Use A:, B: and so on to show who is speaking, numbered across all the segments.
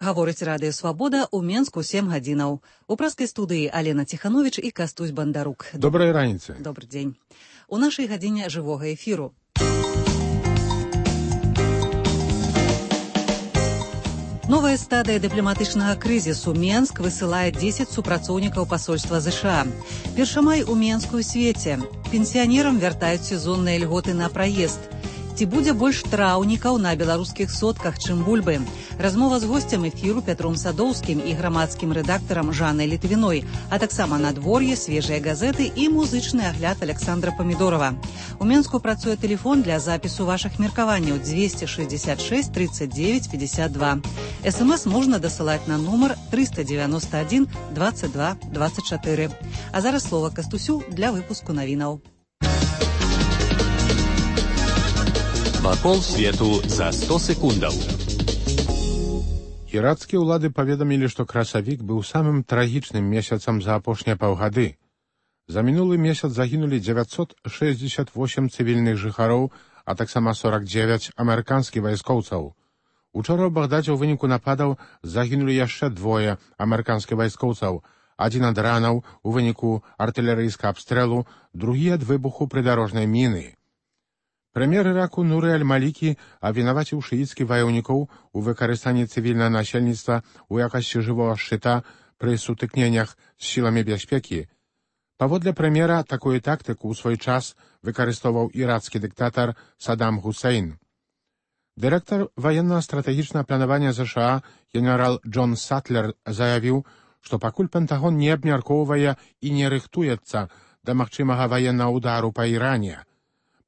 A: Гаворыць Радыё Свабода ў Менску 7 гадзінаў. У праскай студыі Алена Ціхановіч і Кастусь Бандарук.
B: Добрай раніцы.
A: Добры дзень. У нашай гадзіне жывога эфіру. Новая стадыя дыпламатычнага крызісу. Менск высылае 10 супрацоўнікаў пасольства ЗША. Першамай у Менску і свеце. Пенсіянерам вяртаюць сезонныя льготы на праезд. Ці будзе больш траўнікаў на беларускіх сотках, чым бульбы? Размова з госцем эфіру Пятром Садоўскім і грамадскім рэдактарам Жаннай Літвіной, а таксама надвор'е, свежыя газеты і музычны агляд Александра Памідорова. У Менску працуе тэлефон для запісу вашых меркаванняў 266 39 52. СМС можна дасылаць на нумар 391 22 24. А зараз слова Кастусю для выпуску навінаў.
C: Вакол свету за 100 секундаў.
B: Ірацкія ўлады паведамілі, што красавік быў самым трагічным месяцам за апошнія паўгады. За мінулы месяц загінулі 968 цывільных жыхароў, а таксама 49 амерыканскіх вайскоўцаў. Учора ў Багдадзе ў выніку нападаў загінулі яшчэ двое амерыканскіх вайскоўцаў, адзін ад ранаў у выніку артылерыйскага абстрэлу, другі ад выбуху прыдарожнай міны. Прэм'ер Іраку Нуры Аль-Малікі абвінаваціў шыіцкіх ваяўнікоў у выкарыстанні цывільнага насельніцтва ў якасці жывога шчыта пры сутыкненнях з сіламі бяспекі. Паводле прэм'ера, такую тактыку ў свой час выкарыстоўваў ірацкі дыктатар Саддам Хусейн. Дырэктар ваенна-стратэгічнага планавання ЗША генерал Джон Сатлер заявіў, што пакуль Пентагон не абмяркоўвае і не рыхтуецца да магчымага ваеннага ўдару па Іране.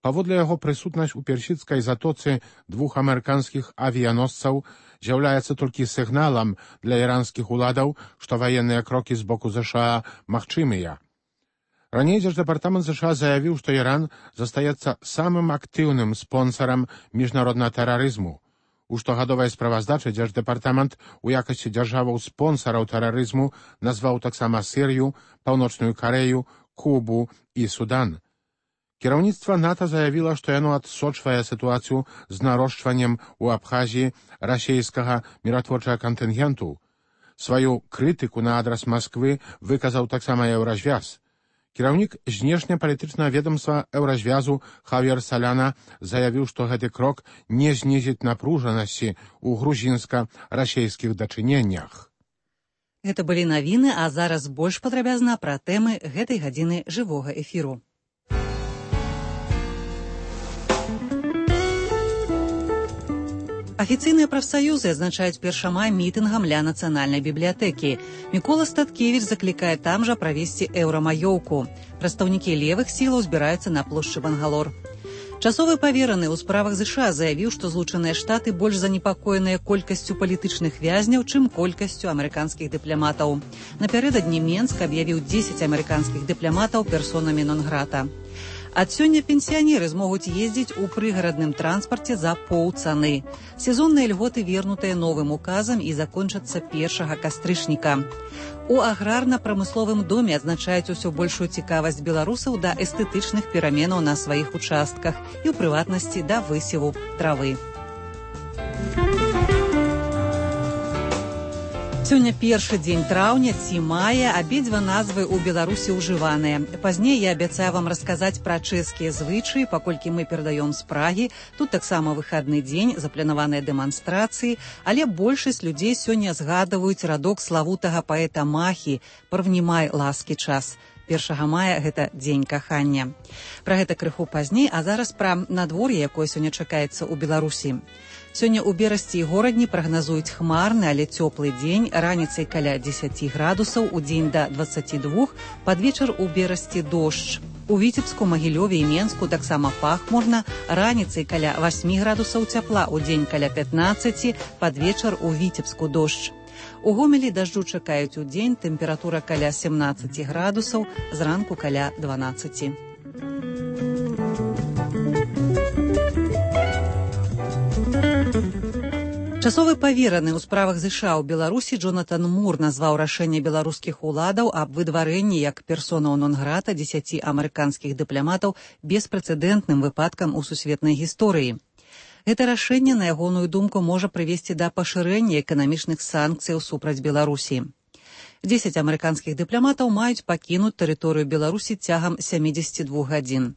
B: Паводле яго, прысутнасць у персідскай затоцы двух амерыканскіх авіяносцаў з'яўляецца толькі сігналам для іранскіх уладаў, што ваенныя крокі з боку ЗША магчымыя. Раней Дзярждэпартамент ЗША заявіў, што Іран застаецца самым актыўным спонсарам міжнароднага тэрарызму. У штогадовай справаздачы Дзярждэпартамент у якасці дзяржаваў-спонсараў тэрарызму назваў таксама Сірыю, Паўночную Карэю, Кубу і Судан. Кіраўніцтва НАТО заявіла, што яно адсочвае сітуацыю з нарошчваннем у Абхазіі расійскага міратворчага кантынгенту. Сваю крытыку на адрас Масквы выказаў таксама Еўразвяз. Кіраўнік знешнепалітычнага ведамства Еўразвязу Хавьер Саляна заявіў, што гэты крок не знізіць напружанасці ў грузінска-расійскіх дачыненнях.
A: Гэта былі навіны, а зараз больш падрабязна пра тэмы гэтай гадзіны жывога эфіру. Афіцыйныя прафсаюзы адзначаюць 1 мая мітынгам ля нацыянальнай бібліятэкі. Мікола Статкевіч заклікае там жа правесці еўрамаёўку. Прадстаўнікі левых сілаў збіраюцца на плошчы Бангалор. Часовы павераны ў справах ЗША заявіў, што Злучаныя Штаты больш занепакоеныя колькасцю палітычных вязняў, чым колькасцю амерыканскіх дыпламатаў. Напярэдадні Менск аб'явіў 10 амерыканскіх дыпламатаў персонамі нон-грата. Ад сёння пенсіянеры змогуць ездзіць у прыгарадным транспарце за паўцаны. Сезонныя льготы вернутыя новым указам і закончацца 1 кастрычніка. У аграрна-прамысловым доме адзначаюць усё большую цікавасць беларусаў да эстэтычных пераменаў на сваіх участках і, ў прыватнасці, да высеву травы. Сёння першы дзень траўня ці мая, абедзве назвы ў Беларусі ўжываныя. Пазней я абяцаю вам расказаць пра чэшскія звычаі, паколькі мы перадаём з Прагі. Тут таксама выхадны дзень, запланаваныя дэманстрацыі, але большасць людзей сёння згадваюць радок славутага паэта Махі «Парвнімай ласкі час». 1 мая гэта дзень кахання. Пра гэта крыху пазней, а зараз пра надвор'е, якое сёння чакаецца ў Беларусі. Сёння ў Берасці і горадні прагназуюць хмарны, але цёплы дзень, раніцай каля 10 градусаў, удзень да 22, пад вечар у Берасці дождж. У Віцебску, Магілёве і Менску таксама пахмурна, раніцай каля 8 градусаў цяпла, удзень каля 15, пад вечар у Віцебску дождж. У Гомелі дажджу чакаюць удзень, тэмпература каля 17 градусаў, зранку каля 12. Часовы павераны ў справах ЗША ў Беларусі Джонатан Мур назваў рашэнне беларускіх уладаў аб выдварэнні як персонаў нон-грата 10 амерыканскіх дыпламатаў беспрэцэдэнтным выпадкам у сусветнай гісторыі. Гэта рашэнне, на ягоную думку, можа прывесці да пашырэння эканамічных санкцыяў супраць Беларусі. 10 амерыканскіх дыпламатаў маюць пакінуць тэрыторыю Беларусі цягам 72 гадзін.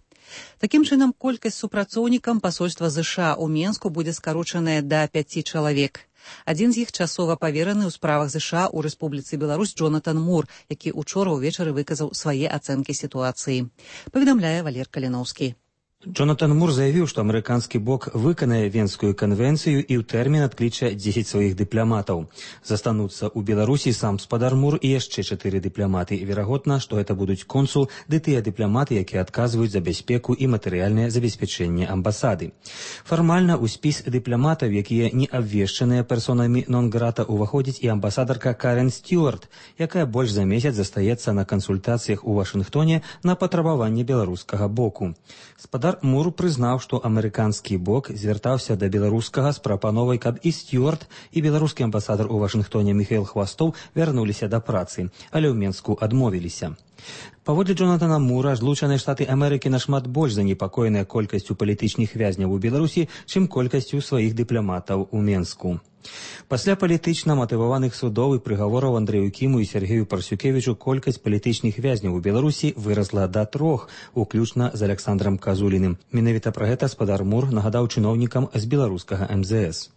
A: Такім чынам, колькасць супрацоўнікам пасольства ЗША ў Менску будзе скарочаная да 5 чалавек. Адзін з іх часова павераны ў справах ЗША ў Рэспубліцы Беларусь Джонатан Мур, які учора ўвечары выказаў свае ацэнкі сітуацыі. Паведамляе Валер Каліноўскі.
D: Джонатан Мур заявіў, што амерыканскі бок выканае Венскую канвенцыю і ў тэрмін адкліча 10 сваіх дыпламатаў. Застануцца ў Беларусі сам спадар Мур і яшчэ 4 дыпламаты. Верагодна, што гэта будуць консул ды тыя дыпламаты, якія адказваюць за бяспеку і матэрыяльнае забеспячэнне амбасады. Фармальна ў спіс дыпламатаў, якія не абвешчаныя персонамі нон-грата, уваходзіць і амбасадарка Карен Стюарт, якая больш за месяц застаецца на кансультацыях у Вашынгтоне на патрабаванне беларускага боку. Спадар Мур прызнаў, што амерыканскі бок звяртаўся да беларускага з прапановай, каб і Стюарт, і беларускі амбасадар у Вашынгтоне Міхаіл Хвастоў вярнуліся да працы, але ў Менску адмовіліся. Паводле Джонатана Мура, Злучаныя Штаты Амерыкі нашмат больш занепакоеныя колькасцю палітычных вязняў у Беларусі, чым колькасцю сваіх дыпламатаў у Менску. Пасля палітычна матываваных судоў і прыгавораў Андрэю Кіму і Сергею Парсюкевічу колькасць палітычных вязняў у Беларусі вырасла да 3, уключна з Александрам Казуліным. Менавіта пра гэта спадар Мур нагадаў чыноўнікам з беларускага МЗС.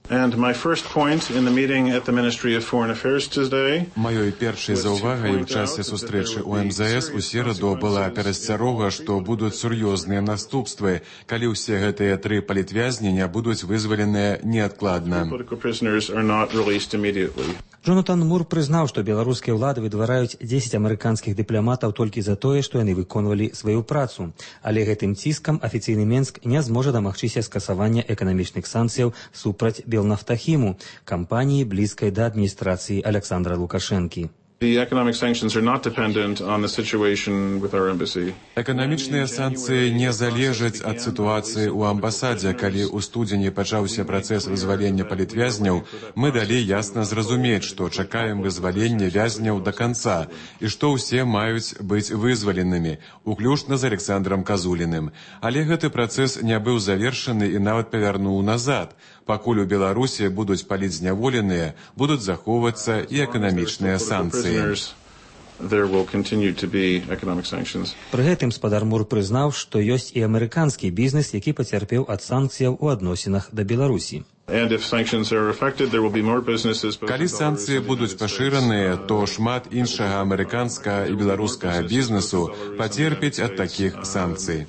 E: Маёй першай заўвагай у часе сустрэчы ў МЗС у сераду была перасцярога, што будуць сур'ёзныя наступствы, калі ўсе гэтыя 3 палітвязні не будуць вызваленыя неадкладна.
D: Джонатан Мур прызнаў, што беларускія ўлады выдвараюць 10 амерыканскіх дыпламатаў толькі за тое, што яны выконвалі сваю працу. Але гэтым ціскам афіцыйны Менск не зможа дамагчыся скасавання эканамічных санкцыяў супраць Белнафтахіму, кампаніі блізкай да адміністрацыі Александра Лукашэнкі.
E: Эканамічныя санкцыі не залежаць ад сітуацыі ў амбасадзе. Калі ў студзені пачаўся працэс вызвалення палітвязняў, мы далі ясна зразумець, што чакаем вызвалення вязняў да канца і што ўсе маюць быць вызваленымі, уключна з Александрам Казуліным. Але гэты працэс не быў завершаны і нават павярнуў назад. Пакуль у Беларусі будуць палітзняволеныя, будуць захоўвацца і эканамічныя санкцыі.
D: Пры гэтым спадар Мур прызнаў, што ёсць і амерыканскі бізнес, які пацярпеў ад санкцыяў у адносінах да Беларусі.
E: Калі санкцыі будуць пашыраныя, то шмат іншага амерыканскага і беларускага бізнесу пацерпіць ад такіх санкцый.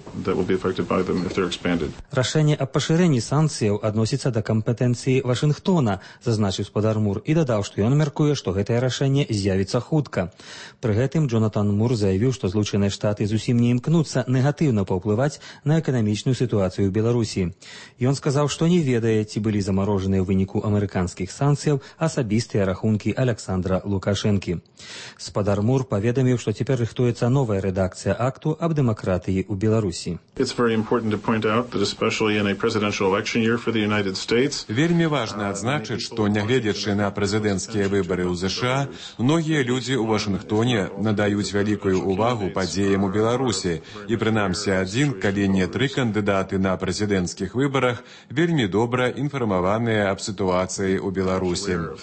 D: Рашэнне аб пашырэнні санкцыяў адносіцца да кампетэнцыі Вашынгтона, зазначыў спадар Мур і дадаў, што ён мяркуе, што гэтае рашэнне з'явіцца хутка. Пры гэтым Джонатан Мур заявіў, што Злучаныя Штаты зусім не імкнуцца негатыўна паўплываць на эканамічную сітуацыю ў Беларусі. Ён сказаў, што не ведае, ці былі замарожаныя ў выніку амерыканскіх санкцыяў асабістыя рахункі Александра Лукашэнкі. Спадар Мур паведаміў, што цяпер рыхтуецца новая рэдакцыя акту аб дэмакратыі ў Беларусі.
E: Вельмі важна адзначыць, што нягледзячы на прэзідэнцкія выбары ў ЗША, многія людзі ў Вашынгтоне надаюць вялікую ўвагу падзеям у Беларусі, і прынамсі адзін, калі не 3 кандыдаты на прэзідэнцкіх выбарах вельмі добра інфармаваныя аб сітуацыі ў Беларусі.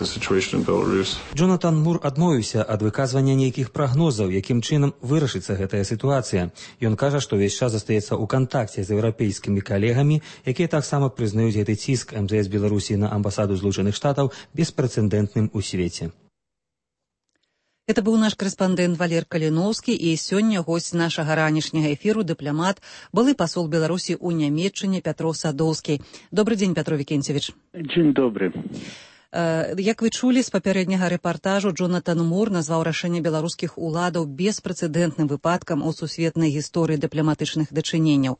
D: Джонатан Мур адмовіўся ад выказвання нейкіх прагнозаў, якім чынам вырашыцца гэтая сітуацыя. Ён кажа, што ўвесь час застаецца ў кантакце з еўрапейскімі калегамі, якія таксама прызнаюць гэты ціск МЗС Беларусі на амбасаду Злучаных Штатаў беспрэцэдэнтным у свеце.
A: Это быў наш корэспандэнт Валер Каліноўскі, і сёння госць нашага ранішняга эфіру дыпламат, былы пасол Беларусі ў Нямецчыне Пятро Садоўскі. Добрый дзень, Пятро Викентьевич.
F: Дзень добры.
A: Як вы чулі з папярэдняга рэпартажу, Джонатан Мур назваў рашэнне беларускіх уладаў беспрэцэдэнтным выпадкам у сусветнай гісторыі дыпламатычных дачыненняў.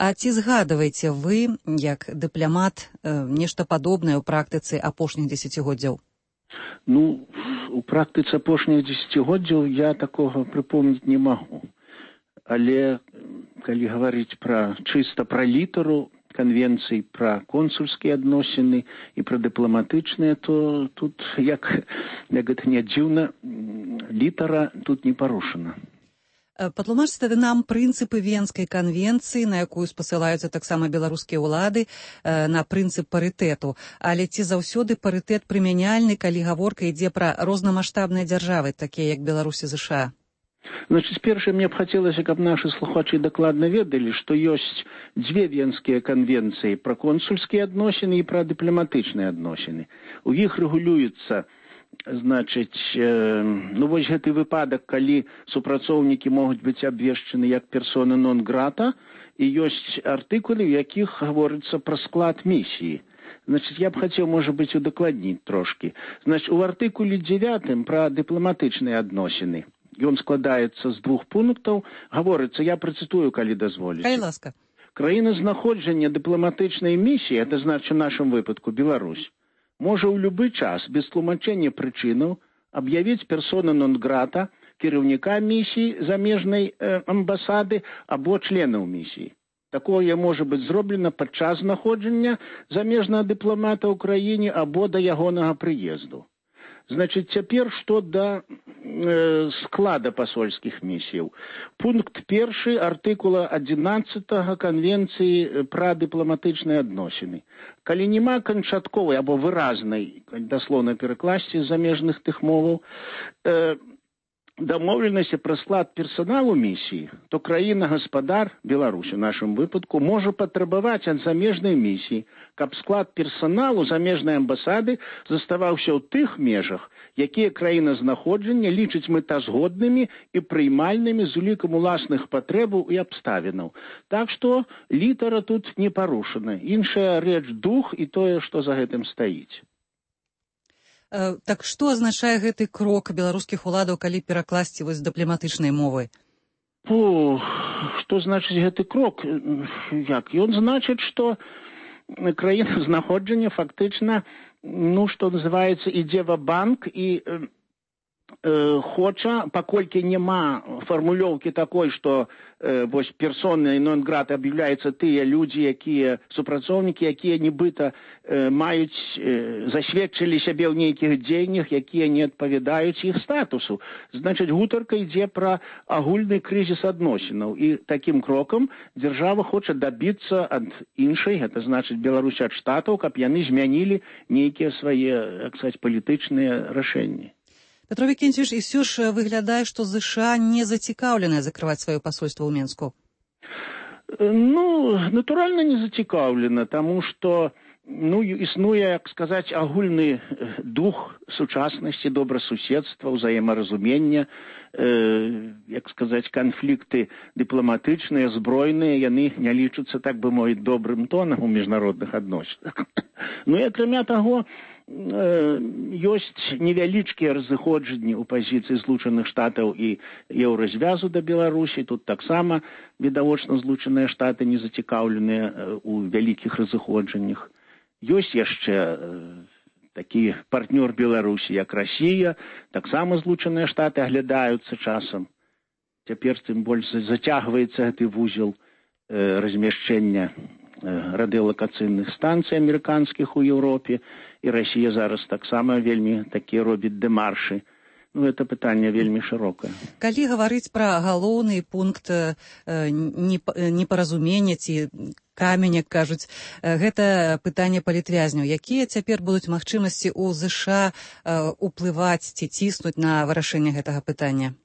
A: А ці згадваеце вы, як дыпламат, нешта падобнае ў практыцы апошніх дзесяцігоддзяў?
F: У практыцы апошніх дзесяцігоддзяў я такога прыпомніць не магу. Але калі гаварыць чыста пра літару канвенцый, пра консульскія адносіны і пра дыпламатычныя, то тут, як гэта не дзіўна, літара тут не парушана.
A: Патлумачце тады нам прынцыпы Венскай канвенцыі, на якую спасылаюцца таксама беларускія ўлады, на прынцып парытэту. Але ці заўсёды парытэт прымяняльны, калі гаворка ідзе пра рознамаштабныя дзяржавы, такія як Беларусь і ЗША?
F: Значит, першае, мне б хацелася, каб нашы слухачы дакладна ведалі, што ёсць дзве венскія канвенцыі пра консульскія адносіны і пра дыпламатычныя адносіны. У іх рэгулюецца, значыць, вось гэты выпадак, калі супрацоўнікі могуць быць абвешчаны як персона нон-грата, і ёсць артыкулы, у якіх гаворыцца пра склад місіі. Значит, я б хацеў, можа быць, удакладніць трошкі. Значит, у артыкуле 9 пра дыпламатычныя адносіны. Ён складаецца з 2 пунктаў. Гаворыцца, я працытую, калі дазволіце.
A: Калі ласка.
F: Краіназнаходжання дыпламатычнай місіі, это значыць, у нашым выпадку Беларусь, можа ў любы час, без тлумачэння прычынаў, аб'явіць персона нон-грата, кіраўніка місіі замежнай амбасады або членаў місіі. Такое можа быць зроблена падчас знаходжання замежнага дыпламата ў краіне або да ягонага прыезду. Значит, цяпер што да склада пасольскіх місіяў. Пункт 1 артыкула 11 канвенцыі пра дыпламатычныя адносіны. Калі няма канчатковай або выразнай, даслоўна перакласці з замежных тых моваў, дамоўленасці пра склад персаналу місіі, то краіна-гаспадар, Беларусь у нашым выпадку, можа патрабаваць ад замежнай місіі, каб склад персаналу замежнай амбасады заставаўся ў тых межах, якія краіназнаходжання лічыць мэтазгоднымі і прыймальнымі з улікам уласных патрэбаў і абставінаў. Так што літара тут не парушана. Іншая рэч дух і тое, што за гэтым стаіць.
A: Так што азначае гэты крок беларускіх уладаў, калі перакласці вось дыпламатычнай мовы?
F: Што значыць гэты крок? Як? Ён значыць, што краіна знаходжання фактычна, што называецца, ідзе ва-банк і хоча, паколькі няма фармулёўкі такой, што вось персонай нон-грата аб'яўляюцца тыя людзі, якія супрацоўнікі, якія нібыта маюць, засведчылі сябе ў нейкіх дзеяннях, якія не адпавядаюць іх статусу. Значыць, гутарка ідзе пра агульны крызіс адносінаў. І такім крокам дзяржава хоча дабіцца ад іншай, гэта значыць Беларусь ад штатаў, каб яны змянілі нейкія свае, так сказаць, палітычныя рашэнні.
A: Петро Викентьевич, і все ж выглядае, што ЗША не зацікаўленыя закрываць сваё пасольства ў Менску.
F: Натуральна не зацікаўлена, таму што існуе, як сказаць, агульны дух сучаснасці, добрасуседства, ўзаемаразумення, як сказаць, канфлікты дыпламатычныя, збройныя, яны не лічацца, так бы мовіць, добрым тонам у міжнародных адносінах. І акрамя таго, ёсць невялічкія разыходжанні ў пазіцыі Злучаных Штатаў і еўразвязу да Беларусі. Тут таксама, відавочна, Злучаныя Штаты не зацікаўленыя ў вялікіх разыходжаннях. Ёсць яшчэ такі партнёр Беларусі, як Расія, таксама Злучаныя Штаты аглядаюцца часам. Цяпер тым больш зацягваецца гэты вузел размяшчэння радыёлакацыйных станцый амерыканскіх у Еўропе, і Расія зараз таксама вельмі такія робіць дэмаршы. Гэта пытанне вельмі шырокае.
A: Калі гаварыць пра галоўны пункт непаразумення ці камень, як кажуць, гэта пытанне палітвязняў. Якія цяпер будуць магчымасці ў ЗША уплываць ці ціснуць на вырашэнне гэтага пытання?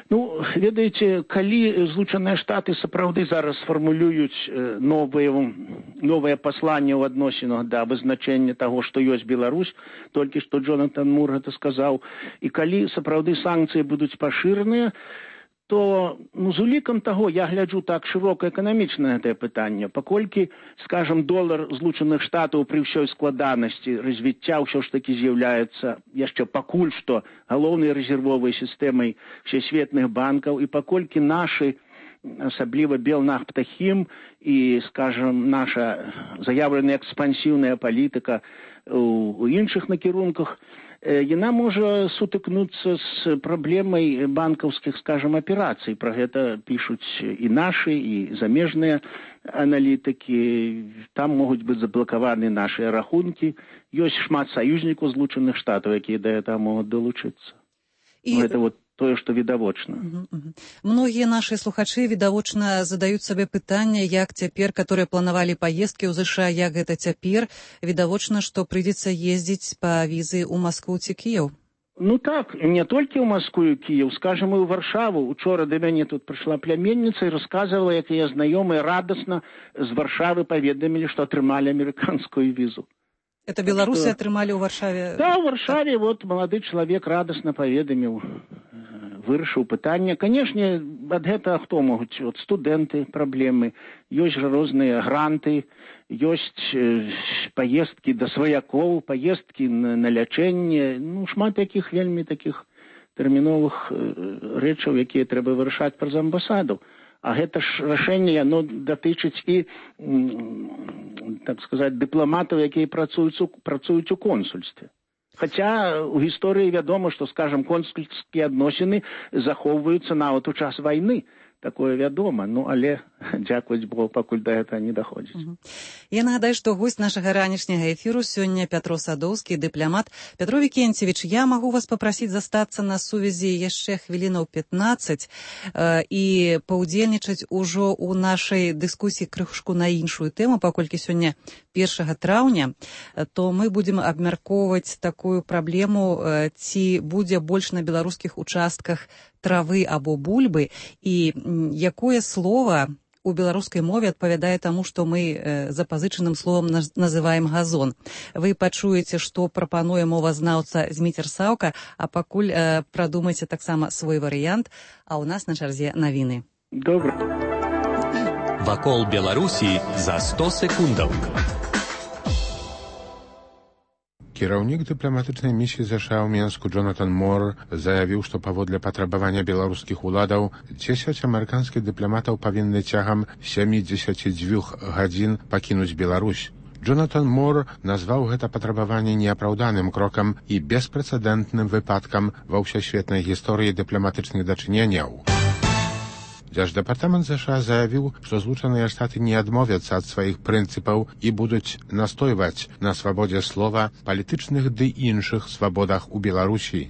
F: Ведаеце, калі Злучаныя Штаты сапраўды зараз сфармулююць новае пасланне ў адносінах да вызначэння таго, што ёсць Беларусь, толькі што Джонатан Мур гэта сказаў, і калі сапраўды санкцыі будуць пашыраныя, то з улікам таго я гляджу так шырока эканамічна гэтае пытанне, паколькі, скажам, долар Злучаных Штатаў пры ўсёй складанасці развіцця ўсё ж такі з'яўляецца яшчэ пакуль што галоўнай рэзервовай сістэмай всесветных банкаў, і паколькі нашы, асабліва Белнафтахім і, скажам, наша заяўленая экспансіўная палітыка у іншых накірунках, яна можа сутыкнуцца з праблемай банкаўскіх, скажам, аперацый. Пра гэта пішуць і нашы, і замежныя аналітыкі. Там могуць быць заблакаваны нашыя рахункі. Ёсць шмат саюзнікаў Злучаных Штатаў, якія да гэтага могуць далучыцца. Гэта тое, што відавочна.
A: Многія нашы слухачы відавочна задаюць сабе пытанне, як цяпер, которые планавалі паездкі ў ЗША, як гэта цяпер, відавочна, што прыйдзецца ездзіць па візы ў Маскву ці Кіеў.
F: Ну так, не толькі ў Маскву і Кіеў, скажам, і ў Варшаву. Учора да мяне тут прыйшла пляменніца і расказвала, як яе знаёмыя радасна з Варшавы паведамілі, што атрымалі амерыканскую візу.
A: Это беларусы атрымалі ў Варшаве?
F: Да, ў Варшаве вот малады чалавек радасна паведаміў, вырашыў пытанне. Канешне, ад гэтага хто могуць? От студэнты праблемы, ёсць жа розныя гранты, ёсць паездкі да сваякоў, паездкі на лячэнне, ну, шмат якіх вельмі такіх тэрміновых рэчаў, якія трэба вырашаць праз амбасаду. А гэта ж рашэнне, яно датычыць і, так сказаць, дыпламатаў, якія працуюць у консульстве. Хаця у гісторыі вядома, што, скажам, консульскія адносіны захоўваюцца нават у час вайны. Такое вядома, ну, але, дзякуюць Богу, пакуль да гэтага не даходзіць.
A: Я нагадаю, што госць нашага ранішняга эфіру сёння Пятро Садоўскі, дыпламат. Пятро Вікенцевіч, я магу вас папрасіць застацца на сувязі яшчэ хвілінаў 15 і паўдзельнічаць ужо ў нашай дыскусіі крышку на іншую тэму, паколькі сёння 1 траўня, то мы будзем абмяркоўваць такую праблему, ці будзе больш на беларускіх участках травы або бульбы, і якое слова у беларускай мове адпавядае таму, што мы запазычаным словам называем газон. Вы пачуеце, што прапануе мовазнаўца Зміцер Саўка, а пакуль прадумайце таксама свой варыянт, а ў нас на чарзе навіны.
F: Добра.
C: Вакол Беларусі за 100 секундаў.
B: Кіраўнік дыпламатычнай місіі ЗША ў Менску Джонатан Мор заявіў, што паводле патрабавання беларускіх уладаў 10 амерыканскіх дыпламатаў павінны цягам 72 гадзін пакінуць Беларусь. Джонатан Мор назваў гэта патрабаванне неапраўданым крокам і беспрэцэдэнтным выпадкам ва ўсесветнай гісторыі дыпламатычных дачыненняў. Дзярждэпартамент ЗША заявіў, што Злучаныя Штаты не адмовяцца ад сваіх прынцыпаў і будуць настойваць на свабодзе слова, палітычных ды іншых свабодах у Беларусі.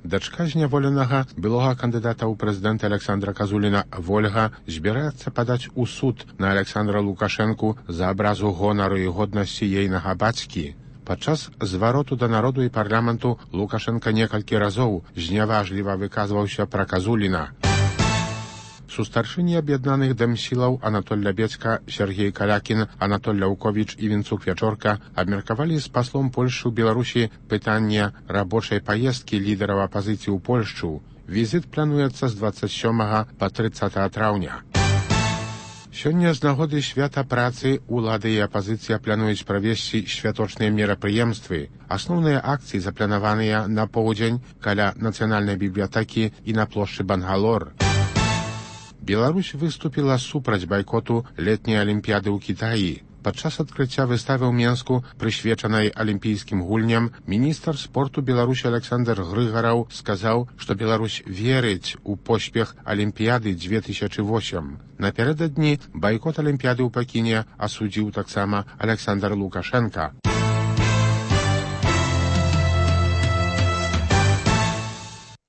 B: Дачка зняволенага былога кандыдата ў прэзідэнта Александра Казуліна Вольга збіраецца падаць у суд на Александра Лукашэнку за абразу гонару і годнасці ейнага бацькі. Падчас звароту да народу і парламенту Лукашэнка некалькі разоў зняважліва выказваўся пра Казуліна. Сустаршыні аб'яднаных дэмсілаў Анатоль Лябецька, Сергей Калякін, Анатоль Ляўковіч і Вінцук Вячорка абмеркавалі з паслом Польшчы ў Беларусі пытанне рабочай паездкі лідараў апазіцыі ў Польшчу. Візіт плануецца з 27 па 30 траўня. Сёння з нагоды свята працы улады і апазіцыя плануюць правесці святочныя мерапрыемствы. Асноўныя акцыі запланаваныя на поўдзень каля нацыянальнай бібліятэкі і на плошчы Бангалор. Беларусь выступіла супраць байкоту летняй алімпіяды ў Кітаі. Падчас адкрыцця выставы ў Менску, прысвечанай алімпійскім гульням, міністр спорту Беларусі Александр Грыгараў сказаў, што Беларусь верыць у поспех алімпіяды 2008. Напярэдадні байкот алімпіяды ў Пекіне асудзіў таксама Александр Лукашенка.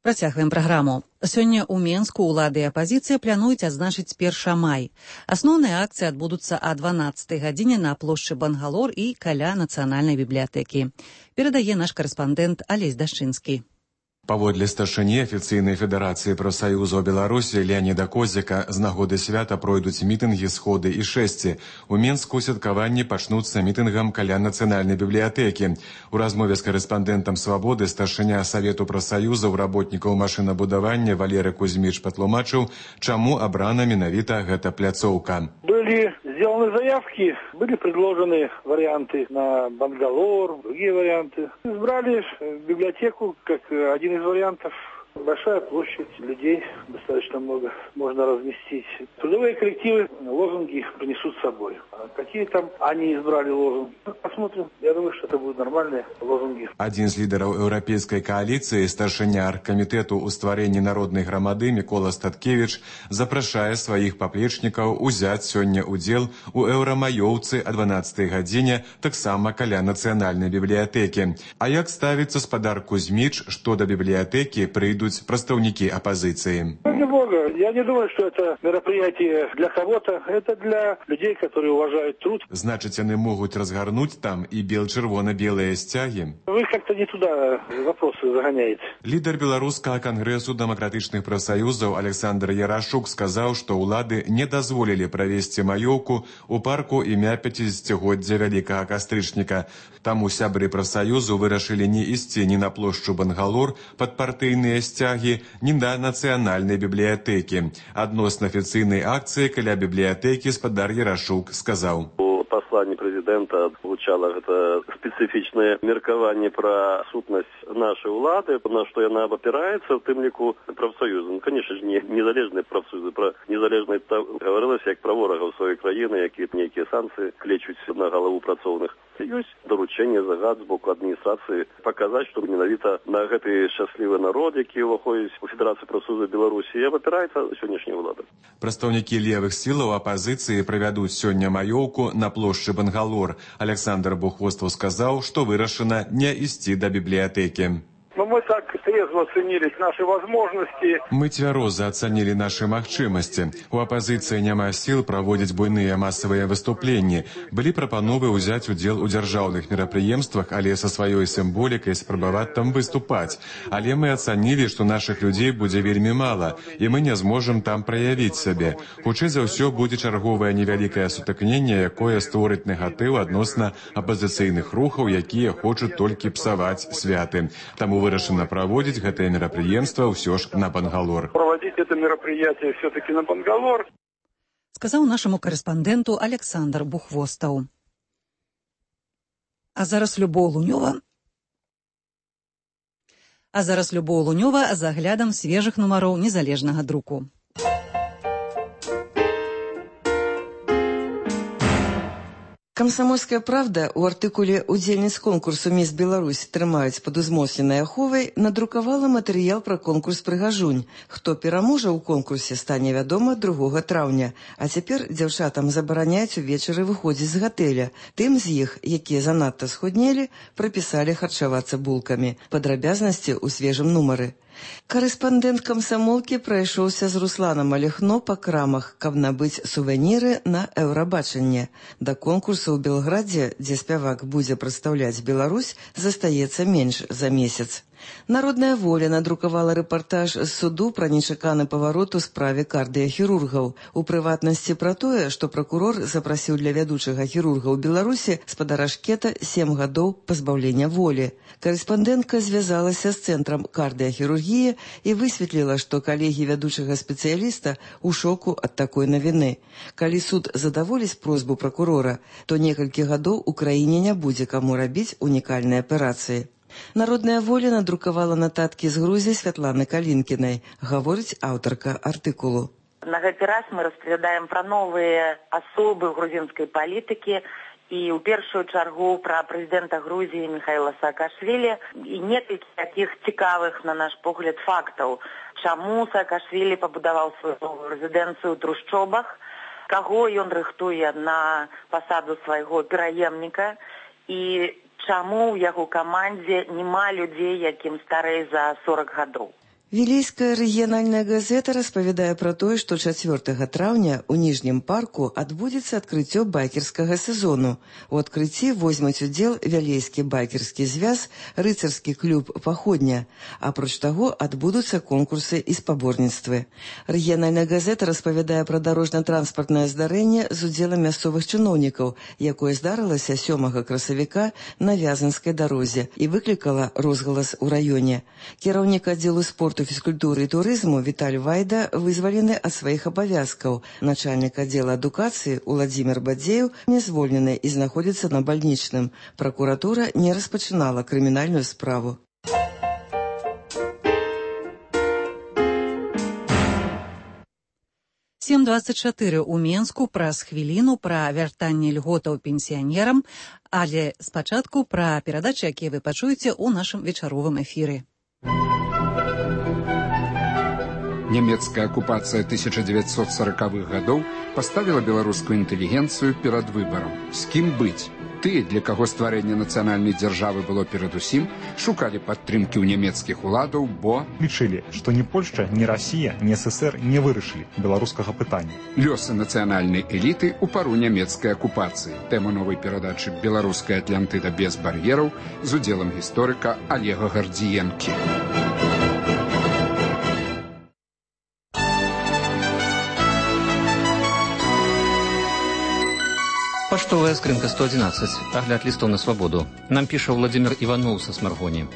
A: Працягваем праграму. Сёння ў Менску ўлады і апазіцыя плануюць адзначыць 1 май. Асноўныя акцыі адбудуцца о 12 гадзіне на плошчы Бангалор і каля нацыянальнай бібліятэкі. Перадае наш карэспандэнт Алесь Дашчынскі.
E: Паводле старшыні афіцыйнай федэрацыі прафсаюзаў Беларусі Леаніда Козіка з нагоды свята пройдуць мітынгі, сходы і шэсці. У Менску святкаванні пачнуцца мітынгам каля нацыянальнай бібліятэкі. У размове з карэспандэнтам «Свабоды» старшыня Савету прафсаюзаў работнікаў машынабудавання Валерый Кузьміч патлумачыў, чаму абрана менавіта гэта пляцоўка.
G: Были сделаны заявки, были предложены варианты на Бангалор, другие варианты. Избрали библиотеку как один из вариантов. Большая площадь, людей достаточно много можно разместить. Трудовые коллективы лозунги принесут с собой. А какие там они избрали лозунги? Посмотрим. Я думаю, что это будут нормальные лозунги.
E: Один з лідараў еўрапейскай кааліцыі, старшыня аргкамітэту ў стварэнні народнай грамады Мікола Статкевіч запрашае сваіх паплечнікаў узяць сёння удзел у еўрамаёўцы о 12 гадзіне, таксама каля нацыянальнай бібліятэкі. А як ставіцца спадар Кузьміч, што да бібліятэкі прыйдуць выйдуць прадстаўнікі апазіцыі.
G: Ради Бога, я не думаю, что это мероприятие для кого-то. Это для людей, которые уважают труд.
E: Значыць, яны могуць разгарнуць там і бел-чырвона-белыя сцягі.
G: Вы как-то не туда вопросы загоняете.
E: Лідар беларускага кангрэсу дэмакратычных прафсаюзаў Александр Ярашук сказаў, што ўлады не дазволілі правесці маёўку ў парку імя 50-годдзя Вялікага Кастрычніка. Таму сябры прафсаюзу вырашылі не ісці ні на плошчу Бангалор пад партыйныя сцягі, ні на нацыянальнай бібліятэкі. Адносна афіцыйнай акцыі каля бібліятэкі спадар Ярашук сказаў.
H: Послании президента звучало это специфичное меркование про сутность нашей улады, на что она опирается, в тем лику профсоюзы. Ну, конечно же, не незалежные профсоюзы, про незалежные говорилось, як про ворогов своей країни, які некие санкции клечуть на голову працовных. Есть доручение, загад з боку адміністрації показати, що менавіта на гэты шчаслівы народ, які ўваходзіць у Федэрацыю прафсаюзаў Беларусі, апіраецца сённяшняя ўлада.
E: Прадстаўнікі левых сілаў апазіцыі правядуць сёння маёўку на плошчы Бангалор. Александр Бухвостаў сказаў, што вырашана не ісці да бібліятэкі.
G: Но мы так трезво оценили наши возможности.
E: Мы цвяроза ацанілі нашы магчымасці. У апазіцыі няма сіл праводзіць буйныя масавыя выступленні. Былі прапановы ўзяць удзел у дзяржаўных мерапрыемствах, але са сваёй сімволікай спрабаваць там выступаць. Але мы ацанілі, што нашых людзей будзе вельмі мала, і мы не зможам там праявіць сябе. Хутчэй за ўсё будзе чарговае невялікае сутыкненне, якое створыць негатыў адносна апазіцыйных рухаў, якія хочуць толькі псаваць святы. Таму вырашана праводзіць гэтае мерапрыемства ўсё ж на Бангалор.
G: Проводить это мероприятие все-таки на Бангалор.
A: Сказаў нашаму карэспандэнту Александр Бухвостаў. А зараз Любоў Лунёва з аглядам свежых нумароў незалежнага друку.
I: «Камсамольская правда» у артыкуле «Удзельніц конкурсу «Міс Беларусь» трымаюць пад узмоцненай аховай» надрукавала матэрыял пра конкурс «Прыгажунь». Хто пераможа ў конкурсе, стане вядома 2 траўня. А цяпер дзяўчатам забараняюць увечары выходзіць з гатэля. Тым з іх, якія занадта схуднелі, прапісалі харчавацца булкамі. Падрабязнасці ў свежым нумары. Карэспандэнт камсамолкі прайшоўся з Русланам Алехно па крамах, каб набыць сувеніры на Еўрабачанне. Да конкурсу ў Белградзе, дзе спявак будзе прадстаўляць Беларусь, застаецца менш за месяц. Народная воля надрукавала рэпартаж з суду пра нечаканы паварот у справе кардыяхірургаў. У прыватнасці пра тое, што пракурор запрасіў для вядучага хірурга ў Беларусі спадара Шкета 7 гадоў пазбаўлення волі. Карэспандэнтка звязалася з цэнтрам кардыяхірургіі і высветліла, што калегі вядучага спецыяліста ў шоку ад такой навіны. Калі суд задаволіць просьбу пракурора, то некалькі гадоў у краіне не будзе каму рабіць унікальныя аперацыі. Народная воля надрукавала нататкі з Грузіі Святланы Калінкінай, гаворыць аўтарка артыкулу.
J: На гэты раз мы распавядаем пра новыя асобы грузінскай палітыкі і ў першую чаргу пра прэзідэнта Грузіі Міхаіла Саакашвілі і некалькі такіх цікавых, на наш погляд, фактаў. Чаму Саакашвілі пабудаваў сваю новую рэзідэнцыю ў трушчобах, каго ён рыхтуе на пасаду свайго пераемніка і чаму ў яго камандзе няма людзей, якім старэй за 40 гадоў.
I: Вілейская рэгіянальная газета распавядае пра тое, што 4 траўня ў Ніжнім парку адбудзецца адкрыццё байкерскага сезону. У адкрыцці возьмуць удзел Вялейскі байкерскі звяз, рыцарскі клуб «Паходня». Апроч таго, адбудуцца конкурсы і спаборніцтвы. Рэгіянальная газета распавядае пра дарожна-транспартнае здарэнне з удзелам мясцовых чыноўнікаў, якое здарылася 7 красавіка на Вязанскай дарозе і выклікала розгалас у раёне. Кіраўнік аддзелу спорту, фізкультуры і турызму Віталь Вайда вызвалены ад сваіх абавязкаў. Начальнік аддзела адукацыі Уладзімір Бадзеў не звольнены і знаходзіцца на бальнічным. Пракуратура не распачынала крымінальную справу.
A: «7:24» у Менску праз хвіліну пра вяртанне льготаў пенсіянерам, але спачатку пра перадачы, якія вы пачуеце ў нашым вечаровым эфіры.
K: Нямецкая акупацыя 1940-х гадоў паставіла беларускую інтэлігенцыю перад выбарам. З кім быць? Тыя, для каго стварэнне нацыянальнай дзяржавы было перадусім, шукалі падтрымкі ў нямецкіх уладаў, бо
L: лічылі, што ні Польшча, ні Расія, ні ССР не вырашылі беларускага пытання.
K: Лёсы нацыянальнай эліты ў пару нямецкай акупацыі. Тэма новай перадачы «Беларуская Атлантыда без бар'ераў» з удзелам гісторыка Олега Гардзіенкі.
M: Паштовая скрынка 111. Агляд листов на свободу. Нам піша Владимир Иванов со Смаргони.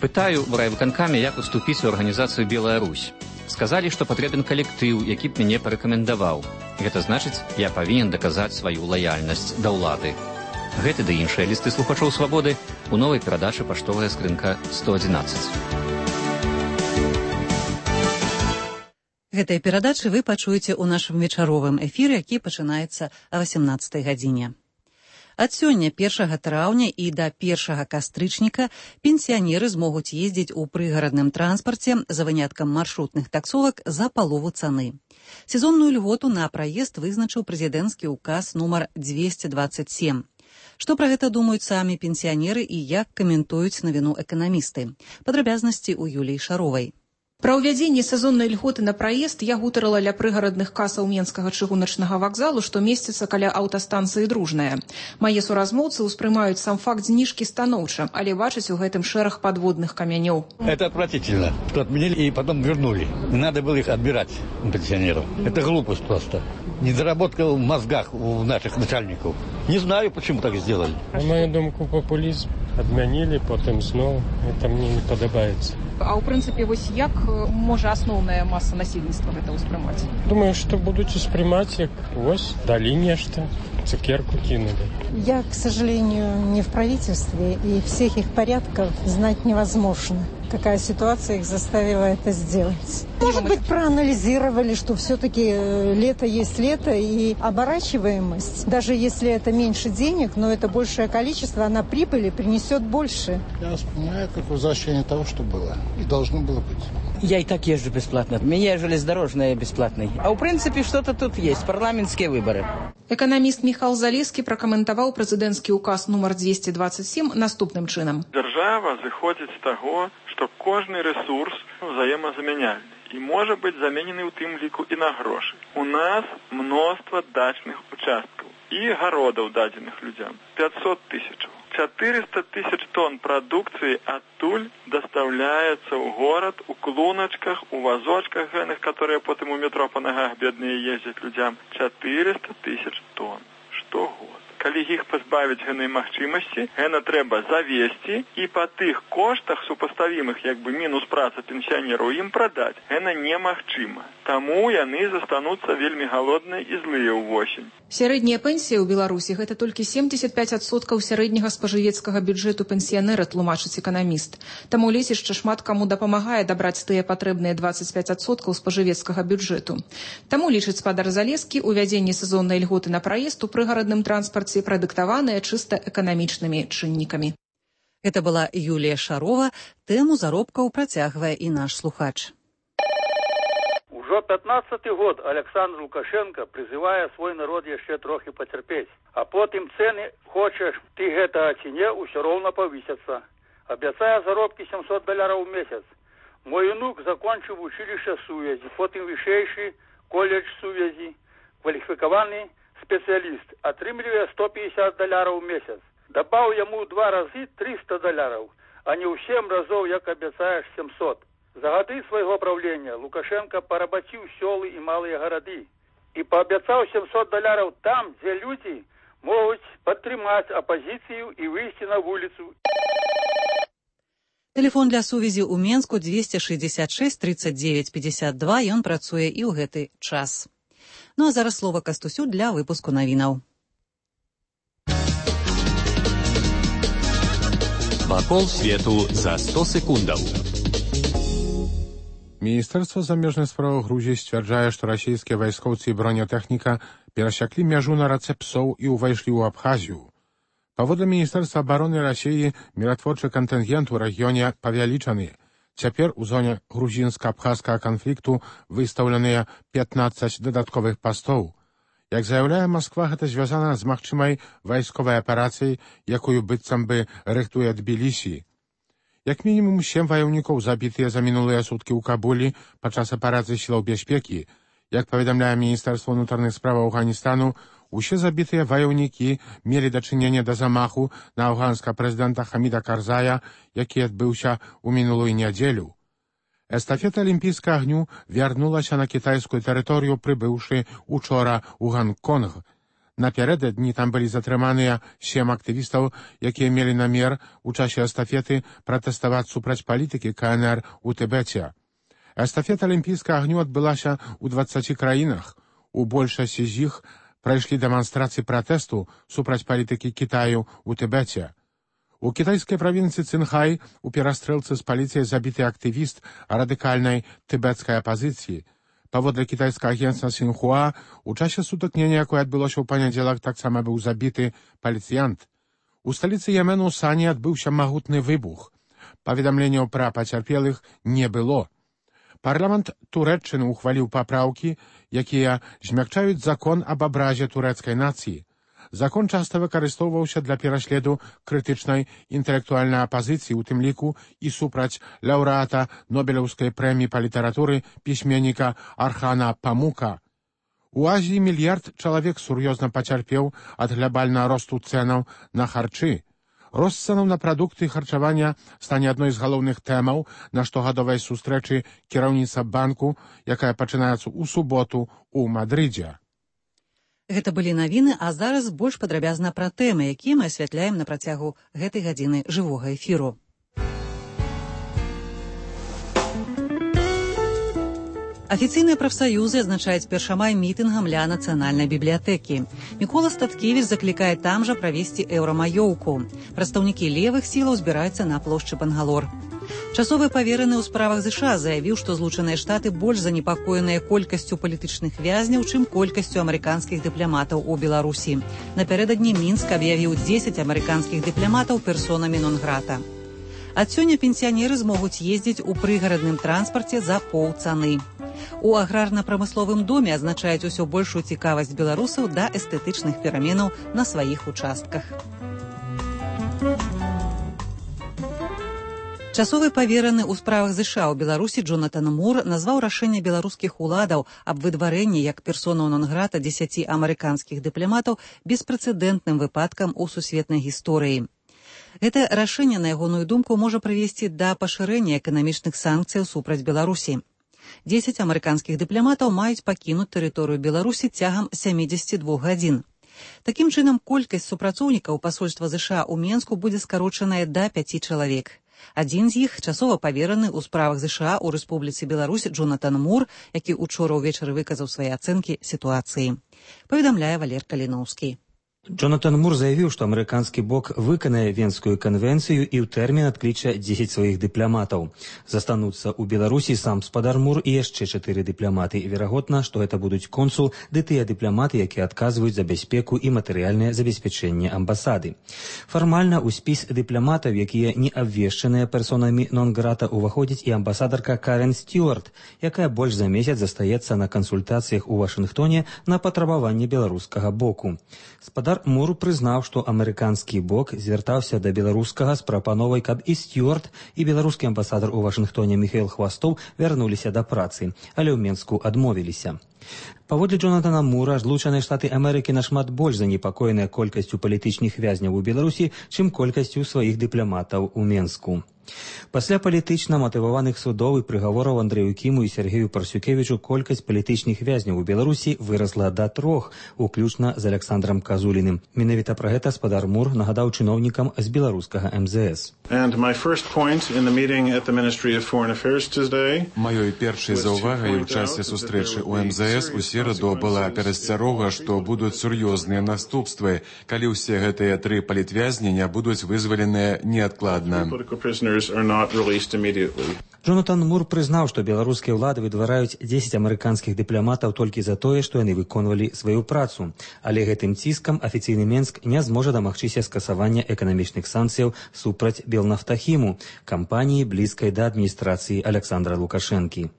M: Пытаю в райвыканкаме, як уступіць у арганізацыю «Белая Русь». Сказалі, што патрэбен калектыў, які б мяне парэкамендаваў. Гэта значыць, я павінен даказаць сваю лаяльнасць да ўлады. Гэты ды іншыя лісты слухачоў свабоды у новай перадачы «Паштовая скрынка 111».
A: Гэтыя перадачы вы пачуеце ў нашым вечаровым эфіры, які пачынаецца о 18 гадзіне. Ад сёння 1 траўня і да 1 кастрычніка пенсіянеры змогуць ездзіць у прыгарадным транспарце за выняткам маршрутных таксовак за палову цаны. Сезонную льготу на праезд вызначыў прэзідэнцкі ўказ нумар 227. Што пра гэта думаюць самі пенсіянеры і як каментуюць навіну эканамісты? Падрабязнасці ў Юліі Шаровай.
N: Пра ўвядзенне сезоннай льготы на праезд я гутарыла ля прыгарадных касаў Менскага чыгуначнага вакзалу, што месціцца каля аўтастанцыі «Дружная». Мае суразмоўцы ўспрымаюць сам факт зніжкі станоўча, але бачаць у гэтым шэраг падводных камянёў.
O: Это отвратительно, что отменили и потом вернули. Не надо было их отбирать у пенсионеров. Это глупость просто. Недоработка в мозгах у наших начальников. Не знаю, почему так сделали.
P: На мою думку, популизм. Адмянілі, потым зноў. Это мне не падабаецца.
N: А ў прынцыпе, вось як можа асноўная маса насельніцтва гэта ўспрымаць?
P: Думаю, што будуць успрымаць, як вось далі нешта, цукерку кинули.
Q: Я, к сожалению, не в правительстве, и всех их порядков знать невозможно. Какая ситуация их заставила это сделать. Может быть, проанализировали, что все-таки лето есть лето, и оборачиваемость, даже если это меньше денег, но это большее количество, она прибыли принесет больше.
R: Я воспринимаю как возвращение того, что было и должно было быть.
S: Я и так езжу бесплатно. У меня железнодорожный бесплатный. А в принципе что-то тут есть. Парламентские выборы.
N: Экономист Михаил Залескі пракаментаваў прэзідэнцкі указ нумар 227 наступным чынам.
T: Дзяржава зыходзіць з таго, што кожны рэсурс взаемазамяняльны і можа быць заменены ў тым ліку і на грошы. У нас мноства дачных участкаў і гародаў дадзеных людзям. 500 тысяч. 400 тысяч тонн прадукцыі адтуль дастаўляецца ў горад у клуначках, у вазочках гэных, которые потым у метро па нагах бедныя ездзяць людзям. 400 тысяч тонн штогод. Калі іх пазбавіць гэтай магчымасці, гэта трэба завесці і па тых коштах супаставімых, як бы мінус праца пенсіянераў, ім прадаць. Гэта немагчыма. Таму яны застануцца вельмі галодныя і злыя ўвосень.
N: Сярэдняя пенсія ў Беларусі гэта толькі 75% сярэдняга спажывецкага бюджэту пенсіянера, тлумачыць эканаміст. Таму лецішча шмат каму дапамагае дабраць тыя патрэбныя 25% спажывецкага бюджэту. Таму, лічыць спадар Залескі, увядзенне сезоннай льготы на праезд у прыгарадным транспарце прадыктаваныя чыста эканамічнымі чыннікамі.
A: Гэта была Юлія Шарова. Тэму заробкаў працягвае і наш слухач.
U: Ужо 15-й год Александр Лукашенко призывае свой народ яшчэ трохі пацярпець, а потым цэны, хочаш ты гэтага ці не, усё роўна павысяцца. Абяцае заробкі $700 ў месяц. Мой унук закончыў училішча сувязі, потым вышэйшы колледж сувязі, кваліфікаваны спецыяліст, атрымлівае $150 ў месяц. Дабаў яму 2 разы $300, а не ў 7 разоў, як абяцаеш 700. За гады свайго правлення Лукашенко парабаціў сёлы і малыя гарады і паабяцаў $700 там, дзе людзі могуць падтрымаць апазіцыю і выйсці на вуліцу.
A: Тэлефон для сувязі ў Менску 266 39 52, ён працуе і ў гэты час. Ну а зараз слова Кастусю для выпуску навінаў.
C: Вакол свету за 100 секундаў.
B: Міністэрства замежных справаў Грузіі сцвярджае, што расійскія вайскоўцы і бронетэхніка перасяклі мяжу на рацэ Псоў і ўвайшлі ў Абхазію. Паводле Міністэрства абароны Расіі, міратворчы кантынгент у рэгіёне павялічаны. Цяпер у зоне грузінска-абхазскага канфлікту выстаўленыя 15 дадатковых пастоў. Як заяўляе Масква, гэта звязана з магчымай вайсковай аперацыяй, якую быццам бы рыхтуе Тбілісі. Як мінімум 7 ваяўнікоў забітыя за мінулыя суткі ў Кабулі падчас аперацыі сілаў бяспекі. Як паведамляе Міністэрства ўнутраных справаў Афганістану, усе забітыя ваяўнікі мелі дачыненне да замаху на афганскага прэзідэнта Хаміда Карзая, які адбыўся ў мінулую нядзелю. Эстафета алімпійскага агню вярнулася на кітайскую тэрыторыю, прыбыўшы учора ў Гонконг. Напярэдадні там былі затрыманыя 7 актывістаў, якія мелі намер у часе эстафеты пратэставаць супраць палітыкі КНР у Тыбеце. Эстафета алімпійскага агню адбылася ў 20 краінах. У большасці з іх прайшлі дэманстрацыі пратэсту супраць палітыкі Кітаю ў Тыбеце. У кітайскай правінцыі Цинхай у перастрэлцы з паліцыяй забіты актывіст радыкальнай тыбецкай апазіцыі. Паводле кітайскага агенцтва Сінхуа, у часе сутыкнення, якое адбылося ў панядзелак, таксама быў забіты паліцыянт. У сталіцы Йемену Сані адбыўся магутны выбух. Паведамленняў пра пацярпелых не было. Парламент Турэччыны ухваліў папраўкі, якія змякчаюць закон аб абразе турэцкай нацыі. Закон часта выкарыстоўваўся для пераследу крытычнай інтэлектуальнай апазіцыі, у тым ліку і супраць лаўрэата Нобелеўскай прэміі па літаратуры пісьменніка Архана Памука. У Азіі 1 мільярд чалавек сур'ёзна пацярпеў ад глобальнага росту цэнаў на харчы. Рост цэнаў на прадукты харчавання стане адной з галоўных тэмаў на штогадовай сустрэчы кіраўніцтва банку, якая пачынаецца ў суботу ў Мадрыдзе.
A: Гэта былі навіны, а зараз больш падрабязна пра тэмы, якія мы асвятляем на працягу гэтай гадзіны жывога эфіру. Афіцыйныя прафсаюзы адзначаюць першамай мітынгам ля нацыянальнай бібліятэкі. Мікола Статкевіч заклікае там жа правесці еўрамаёўку. Прадстаўнікі левых сілаў збіраюцца на плошчы Бангалор. Часовы павераны ў справах ЗША заявіў, што Злучаныя Штаты больш занепакоеныя колькасцю палітычных вязняў, чым колькасцю амерыканскіх дыпламатаў у Беларусі. Напярэдадні Мінск аб'явіў 10 амерыканскіх дыпламатаў персонамі нон-грата. Ад сёння пенсіянеры змогуць ездзіць у прыгарадным транспарце за паўцаны. У аграрна-прамысловым доме адзначаюць усё большую цікавасць беларусаў да эстэтычных пераменаў на сваіх участках. Часовы павераны ў справах ЗША ў Беларусі Джонатан Мур назваў рашэнне беларускіх уладаў аб выдварэнні як персонаў нон-грата 10 амерыканскіх дыпламатаў беспрэцэдэнтным выпадкам у сусветнай гісторыі. Гэта рашэнне, на ягоную думку, можа прывесці да пашырэння эканамічных санкцыяў супраць Беларусі. 10 амерыканскіх дыпламатаў маюць пакінуць тэрыторыю Беларусі цягам 72 гадзін. Такім чынам, колькасць супрацоўнікаў пасольства ЗША ў Менску будзе скарочаная да 5 чалавек. Адзін з іх часова павераны ў справах ЗША ў Рэспубліцы Беларусь Джонатан Мур, які учора ўвечары выказаў свае ацэнкі сітуацыі. Паведамляе Валер Каліноўскі.
D: Джонатан Мур заявіў, што амерыканскі бок выканае Венскую канвенцыю і ў тэрмін адкліча 10 сваіх дыпламатаў. Застануцца ў Беларусі сам спадар Мур і яшчэ 4 дыпламаты. Верагодна, што гэта будуць консул ды тыя дыпламаты, якія адказваюць за бяспеку і матэрыяльнае забеспячэнне амбасады. Фармальна ў спіс дыпламатаў, якія не абвешчаныя персонамі нон-грата, уваходзіць і амбасадарка Карен Стюарт, якая больш за месяц застаецца на кансультацыях у Вашынгтоне на патрабаванне беларускага боку. Спадар Мур прызнаў, што амерыканскі бок звяртаўся да беларускага з прапановай, каб і Стюарт, і беларускі амбасадар у Вашынгтоне Міхаіл Хвастоў вярнуліся да працы, але ў Менску адмовіліся. Паводле Джонатана Мура, Злучаныя Штаты Амерыкі нашмат больш занепакоеныя колькасцю палітычных вязняў у Беларусі, чым колькасцю сваіх дыпламатаў у Менску. Пасля палітычна матываваных судоў і прыгавораў Андрэю Кіму і Сергею Парсюкевічу колькасць палітычных вязняў у Беларусі вырасла да 3, уключна з Александрам Казуліным. Менавіта пра гэта спадар Мур нагадаў чыноўнікам з беларускага МЗС.
E: Маёй першай заўвагай у часе сустрэчы ў МЗС у сераду была перасцярога, што будуць сур'ёзныя наступствы, калі ўсе гэтыя 3 палітвязні не будуць вызваленыя неадкладна.
D: Джонатан Мур прызнаў, што беларускія ўлады выдвараюць 10 амерыканскіх дыпламатаў толькі за тое, што яны выконвалі сваю працу. Але гэтым ціскам афіцыйны Менск не зможа дамагчыся скасавання эканамічных санкцыяў супраць Белнафтахіму, кампаніі блізкай да адміністрацыі Александра Лукашэнкі.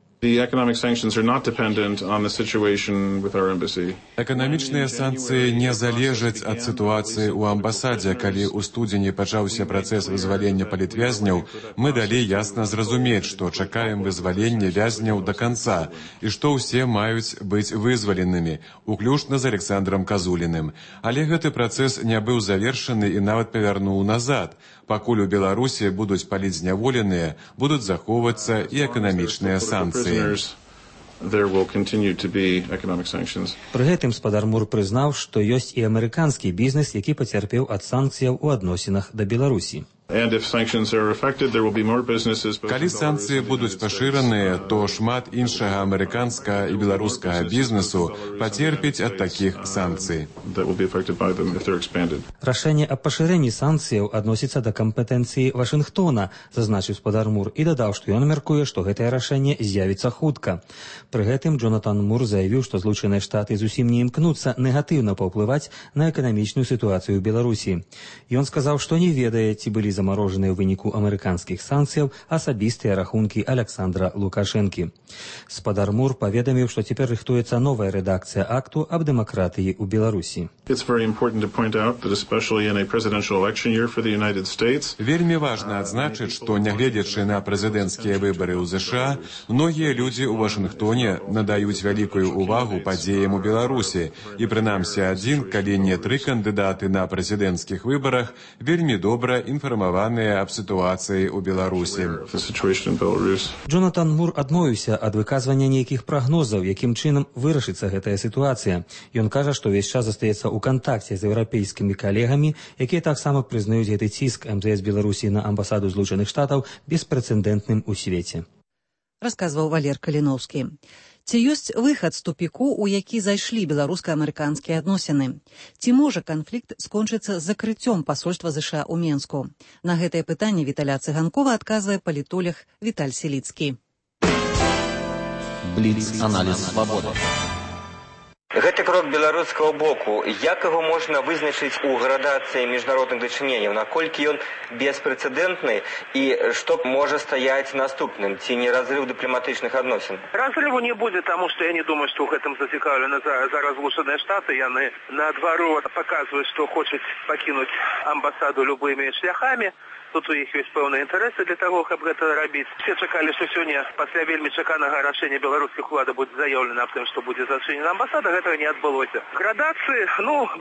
E: Эканамічныя санкцыі не залежаць ад сітуацыі ў амбасадзе. Калі ў студзені пачаўся працэс вызвалення палітвязняў, мы далі ясна зразумець, што чакаем вызвалення вязняў да канца і што ўсе маюць быць вызваленымі, уключна з Александром Казуліным. Але гэты працэс не быў завершаны і нават павярнуў назад. Пакуль у Беларусі будуць паліць зняволеныя, будуць захоўвацца і эканамічныя санкцыі.
D: Пры гэтым спадар Мур прызнаў, што ёсць і амерыканскі бізнес, які пацярпеў ад санкцыяў у адносінах да Беларусі.
E: Калі санкцыі будуць пашыраныя, то шмат іншага амерыканскага і беларускага бізнесу пацерпіць ад такіх санкцый.
D: Рашэнне аб пашырэнні санкцыяў адносіцца да кампетэнцыі Вашынгтона, зазначыў спадар Мур і дадаў, што ён мяркуе, што гэтае рашэнне з'явіцца хутка. Пры гэтым Джонатан Мур заявіў, што Злучаныя Штаты зусім не імкнуцца негатыўна паўплываць на эканамічную сітуацыю ў Беларусі. Ён сказаў, што не ведае, ці былі замарожаныя ў выніку амерыканскіх санкцыяў асабістыя рахункі Александра Лукашэнкі. Спадар Мур паведаміў, што цяпер рыхтуецца новая рэдакцыя акту аб дэмакратыі ў Беларусі.
E: Вельмі важна адзначыць, што нягледзячы на прэзідэнцкія выбары ў ЗША, многія людзі ў Вашынгтоне надаюць вялікую ўвагу падзеям у Беларусі. І прынамсі адзін, калі не 3 кандыдаты на прэзідэнцкіх выбарах вельмі добра інфармаваныя аб сітуацыі ў Беларусі.
D: Джонатан Мур адмовіўся ад выказвання нейкіх прагнозаў, якім чынам вырашыцца гэтая сітуацыя. Ён кажа, што ўвесь час застаецца ў кантакце з еўрапейскімі калегамі, якія таксама прызнаюць гэты ціск МЗС Беларусі на амбасаду Злучаных Штатаў беспрэцэдэнтным у свеце.
A: Расказваў Валер Каліноўскі. Ці ёсць выхад з тупіку, у які зайшлі беларуска-амерыканскія адносіны? Ці можа канфлікт скончыцца з закрыццём пасольства ЗША ў Менску? На гэтае пытанне Віталя Цыганкова адказвае палітолог Віталь Селіцкі.
C: Бліц-аналіз свабоды.
F: Гэты крок беларускага боку, як яго можна вызначыць у градацыі міжнародных дачыненняў, наколькі ён беспрэцэдэнтны і што можа стаяць наступным, ці не разрыв дыпламатычных адносін?
V: Разрыву не будзе, таму што я не думаю, што ў гэтым зацікаўлены зараз Злучаныя Штаты. Яны наадварот паказваюць, што хочуць пакінуць амбасаду любымі шляхамі. Тут у іх ёсць пэўныя інтарэсы для таго, каб гэта рабіць. Все чакалі, што сёння пасля вельмі чаканага рашэння беларускіх улад будзе заяўлена аб тым, што будзе зачынена амбасада, гэтага не адбылося. Градацыі,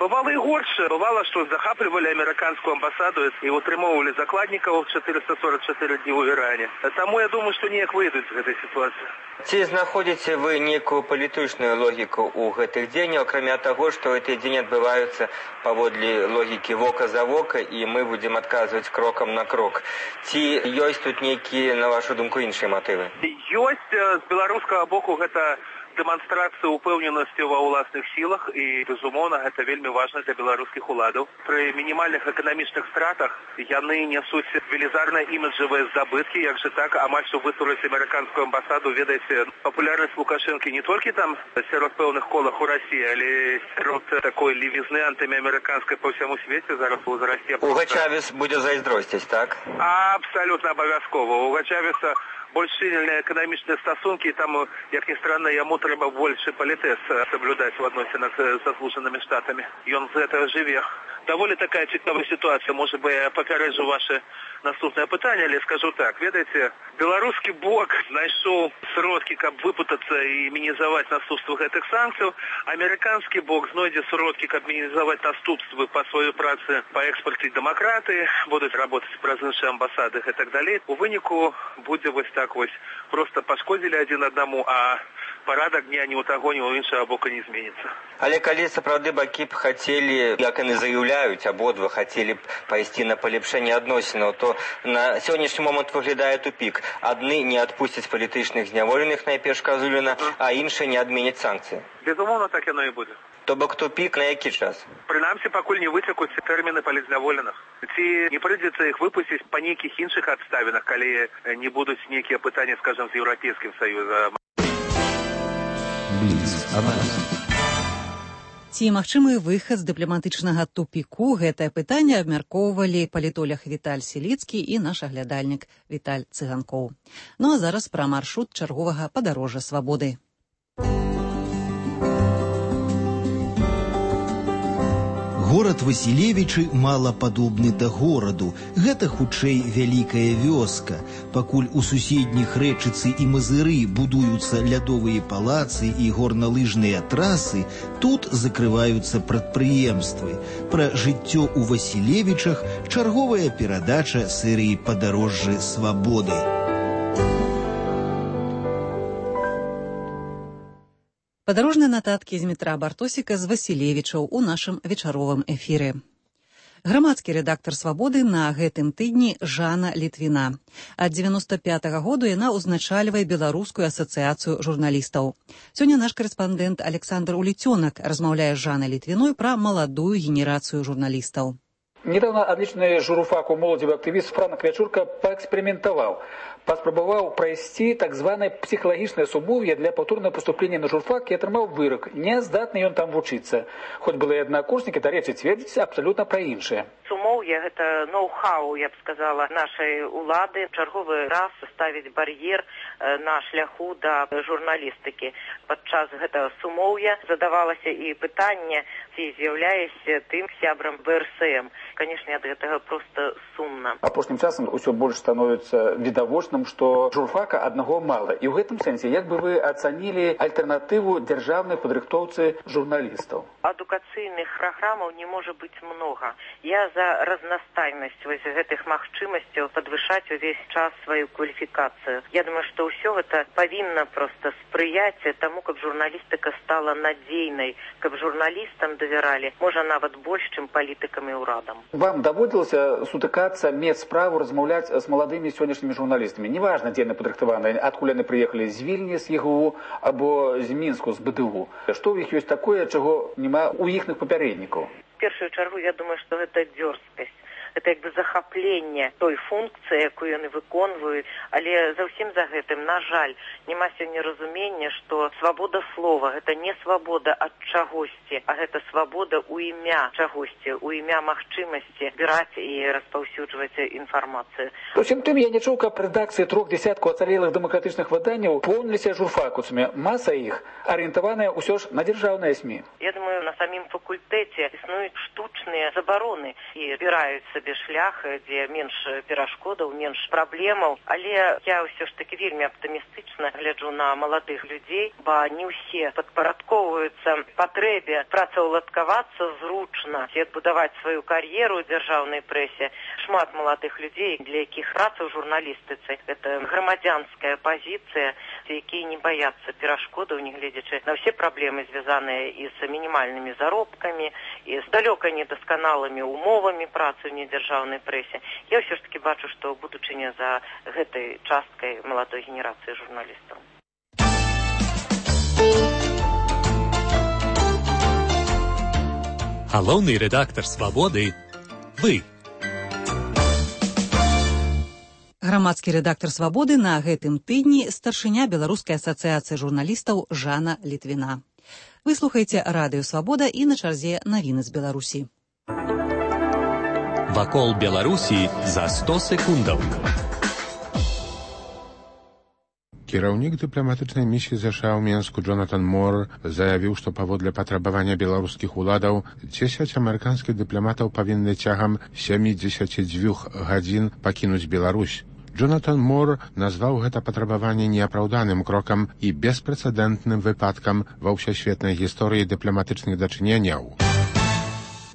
V: бывала і горш. Бывала, што захаплівалі амерыканскую амбасаду і утрымоўвалі закладнікаў 444 дні ў Іране. Таму я думаю, што неяк выйдуць з гэтай сітуацыі.
F: Ці знаходзіце вы нейкую палітычную логіку ў гэтых дзеяннях, акрамя таго, што гэтыя дзені адбываюцца паводле логікі вока за вока, і мы будзем адказваць крокам на крок. Ці ёсць тут нейкія, на вашу думку, іншыя матывы?
V: Ёсць з беларускага боку гэта дэманстрацыя ўпэўненасці ва ўласных сілах, і, безумоўна, гэта вельмі важна для беларускіх уладаў. Пры мінімальных эканамічных стратах яны нясуць велізарныя іміджавыя здабыткі, як жа так, амаль што вытурыць амерыканскую амбасаду. Ведаеце, папулярнасць Лукашэнкі не толькі там сярод пэўных колах у Расіі, але сярод такой левізны антыамерыканскай па ўсяму свеце зараз узрасце.
F: Уга Чавес будзе зайздросціць, так?
V: Абсалютна абавязкова. Уга Чавеса больш сильные эканамічныя стасункі, і там, як ні странно, яму трэба больше палітэс соблюдаць у адносінах з Злучанымі Штатамі. Ён з гэтага жыве. Даволі такая цікавая сітуацыя. Можа бы, я папярэджу ваше наступнае пытанне, але скажу так. Ведаеце, беларускі бок знайшоў сродкі, каб выпутацца і мінімізаваць наступствы гэтых санкцый. Амерыканскі бок знойдзе сродкі, каб мінімізаваць наступствы па сваёй працы па экспорце дэмакратыі, будуць работаць праз іншыя амбасады і так далей. У выніку будзе вось так вось. Просто пашкодзілі адзін аднаму, а парадак дня ні ў таго, ні ў іншага бока не зменіцца.
F: Але калі сапраўды бакі б хацелі, як яны заяўляюць, абодва хацелі б пайсці на палепшэнне адносінаў, то на сённяшні момант выглядае тупік. Адны не адпусцяць палітычных зняволеных, найперш Казуліна, а іншыя не адменяць санкцыі.
V: Безумоўна, так яно і будзе.
F: То бок тупік на які час?
V: Прынамсі, пакуль не выцякуць тэрміны палітзняволеных. Ці не прыйдзецца іх выпусціць па нейкіх іншых абставінах, калі не будуць нейкія пытанні, скажам, з Еўрапейскім Саюзам.
A: Ці магчымы выхад з дыпламатычнага тупіку, гэтае пытанне абмяркоўвалі палітолог Віталь Селіцкі і наш аглядальнік Віталь Цыганкоў. Ну а зараз пра маршрут чарговага падарожжа свабоды.
G: Горад Васілевічы мала падобны да гораду. Гэта хутчэй вялікая вёска. Пакуль у суседніх Рэчыцы і Мазыры будуюцца лядовыя палацы і горналыжныя трасы, тут закрываюцца прадпрыемствы. Пра жыццё ў Васілевічах чарговая перадача серыі «Падарожжы свабоды».
A: Падарожныя нататкі з Дмітра Бартосіка з Васілевічаў у нашым вечаровым эфіры. Грамадскі рэдактар «Свабоды» на гэтым тыдні Жанна Літвіна. Ад 95-го году яна ўзначальвае Беларускую асацыяцыю журналістаў. Сёння наш карэспандэнт Александр Уліцёнак размаўляе з Жаннай Літвіной пра маладую генерацыю журналістаў.
H: Недавно отличный журфаку молодевый активист Франк Вячурка поэкспериментовал. Паспрабаваў прайсці так званае псіхалагічнае сумоўе для паўторнага паступлення на журфак і атрымаў вырак. Не здатны ён там вучыцца. Хоць былыя аднакурснікі, дарэчы, цвердзяць абсалютна пра іншае.
J: Сумоўе – гэта ноу-хау, я б сказала, нашай улады. Чарговы раз ставіць бар'ер на шляху да журналістыкі. Падчас гэтага сумоўя задавалася і пытанне, ці з'яўляешся тым сябрам ВРСМ. Канешне, ад гэтага проста сумна.
H: Апошнім часам усё больш становіцца відавочным, што журфака аднаго мала. І ў гэтым сэнсе, як бы вы ацанілі альтэрнатыву дзяржаўнай падрыхтоўцы журналістаў?
J: Адукацыйных праграмаў не можа быць многа. Я за разнастайнасць гэтых магчымасцяў падвышаць увесь час сваю кваліфікацыю. Я думаю, што ўсё гэта павінна проста спрыяць таму, каб журналістыка стала надзейнай, каб журналістам давяралі, можа нават больш, чым палітыкам і ўрадам.
H: Вам даводзілася сутыкацца, мець справу, размаўляць з маладымі сённяшнімі журналістамі? Неважна, дзе яны падрыхтаваныя, адкуль яны прыехалі, з Вільні, з ЕГУ, або з Мінску, з БДУ. Што ў іх ёсць такое, чаго няма ў іхных папярэднікаў?
J: В першую чаргу, я думаю, што гэта дзёрзкасць. Гэта як бы захапленне той функцыі, якую яны выконваюць, але заўсім за гэтым, на жаль, няма сёння разумення, што свабода слова – гэта не свабода ад чагосьці, а гэта свабода ў імя чагосьці, ў імя магчымасці збіраць і распаўсюджваць інфармацыю.
H: Усім тым, я не чуў, каб рэдакцыі 3 десяткаў ацалелых дэмакратычных выданняў поўніліся журфакусамі. Маса іх арыентаваная ўсё ж на дзяржаўныя СМІ.
J: Я думаю, на самім факультэце існуюць штучныя забароны і збіраюцца шлях, дзе менш перашкодаў, менш праблемаў. Але я ўсё ж таки вельмі аптымістычна гляджу на маладых людзей, бо не ўсе падпарадковваюцца патрэбе працаўладкавацца зручна і адбудаваць сваю кар'еру ў дзяржаўнай прэсе. Шмат маладых людзей, для якіх праца ў журналістыцы – гэта грамадзянская пазіцыя, якія не баяцца перашкодаў, нягледзячы на ўсе праблемы, звязаныя і з мінімальнымі заробкамі, і з далёка недасканалымі умовамі працы ў дзяржаўнай прэсе. Я ўсё ж таки бачу, што будучыня за гэтай часткай маладой генерацыі журналістаў.
C: Галоўны рэдактар «Свабоды» – вы.
A: Грамадскі рэдактар «Свабоды» на гэтым тыдні старшыня Беларускай асацыяцыі журналістаў Жанна Літвіна. Вы слухаеце радыё «Свабода» і на чарзе навіны з Беларусі.
C: Вакол Беларусі за 100 секундаў.
B: Кіраўнік дыпламатычнай місіі ЗША ў Менску Джонатан Мор заявіў, што паводле патрабавання беларускіх уладаў 10 амерыканскіх дыпламатаў павінны цягам 72 гадзін пакінуць Беларусь. Джонатан Мор назваў гэта патрабаванне неапраўданым крокам і беспрэцэдэнтным выпадкам ва ўсесветнай гісторыі дыпламатычных дачыненняў.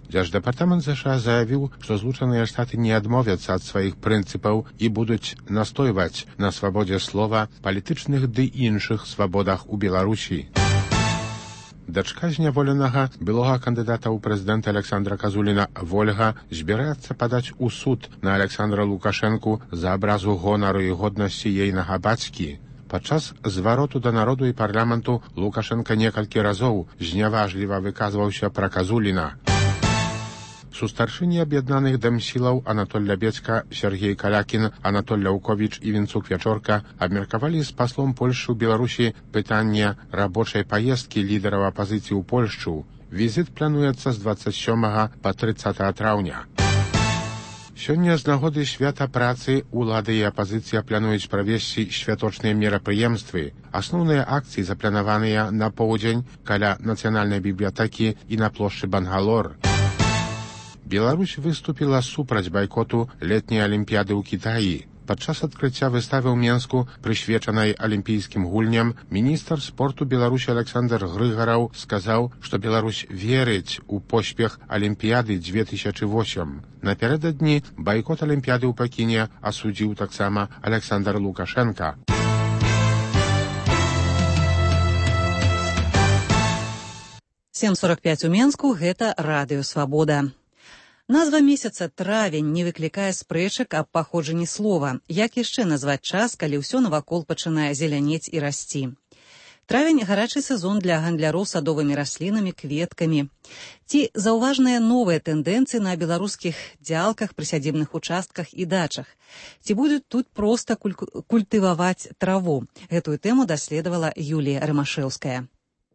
B: Дзярждэпартамент ЗША заявіў, што Злучаныя Штаты не адмовяцца ад сваіх прынцыпаў і будуць настойваць на свабодзе слова, палітычных ды іншых свабодах у Беларусі. Дачка зняволенага былога кандыдата ў прэзідэнта Александра Казуліна Вольга збіраецца падаць у суд на Александра Лукашэнку за абразу гонару і годнасці ейнага бацькі. Падчас звароту да народу і парламенту Лукашенка некалькі разоў зняважліва выказваўся пра Казуліна. Сустаршыні аб'яднаных дэмсілаў Анатоль Лябецка, Сергей Калякін, Анатоль Ляўковіч і Вінцук Вячорка абмеркавалі з паслом Польшы ў Беларусі пытанне рабочай паездкі лідараў апазіцыі ў Польшчу Візіт плануецца з 27 па 30 траўня. Сёння з нагоды свята працы улады і апазіцыя плануюць правесці святочныя мерапрыемствы. Асноўныя акцыі запланаваныя на поўдзень каля нацыянальнай бібліятэкі і на плошчы Бангалор. Беларусь выступіла супраць байкоту летняй алімпіяды ў Кітаі. Падчас адкрыцця выставы ў Менску, прысвечанай алімпійскім гульням, міністр спорту Беларусі Александр Грыгараў сказаў, што Беларусь верыць у поспех алімпіяды 2008. Напярэдадні байкот алімпіяды ў Пекіне асудзіў таксама Александр Лукашенко.
A: «7:45 у Менску» – гэта радыё «Свабода». Назва месяца травень не выклікае спрэчак аб паходжанні слова. Як яшчэ назваць час, калі ўсё навакол пачынае зелянець і расці? Травень – гарачы сезон для гандляроў садовымі раслінамі, кветкамі. Ці заўважныя новыя тэндэнцыі на беларускіх дзялках, прысядзібных участках і дачах? Ці будуць тут проста культываваць траву? Гэтую тэму даследавала Юлія Рымашэўская.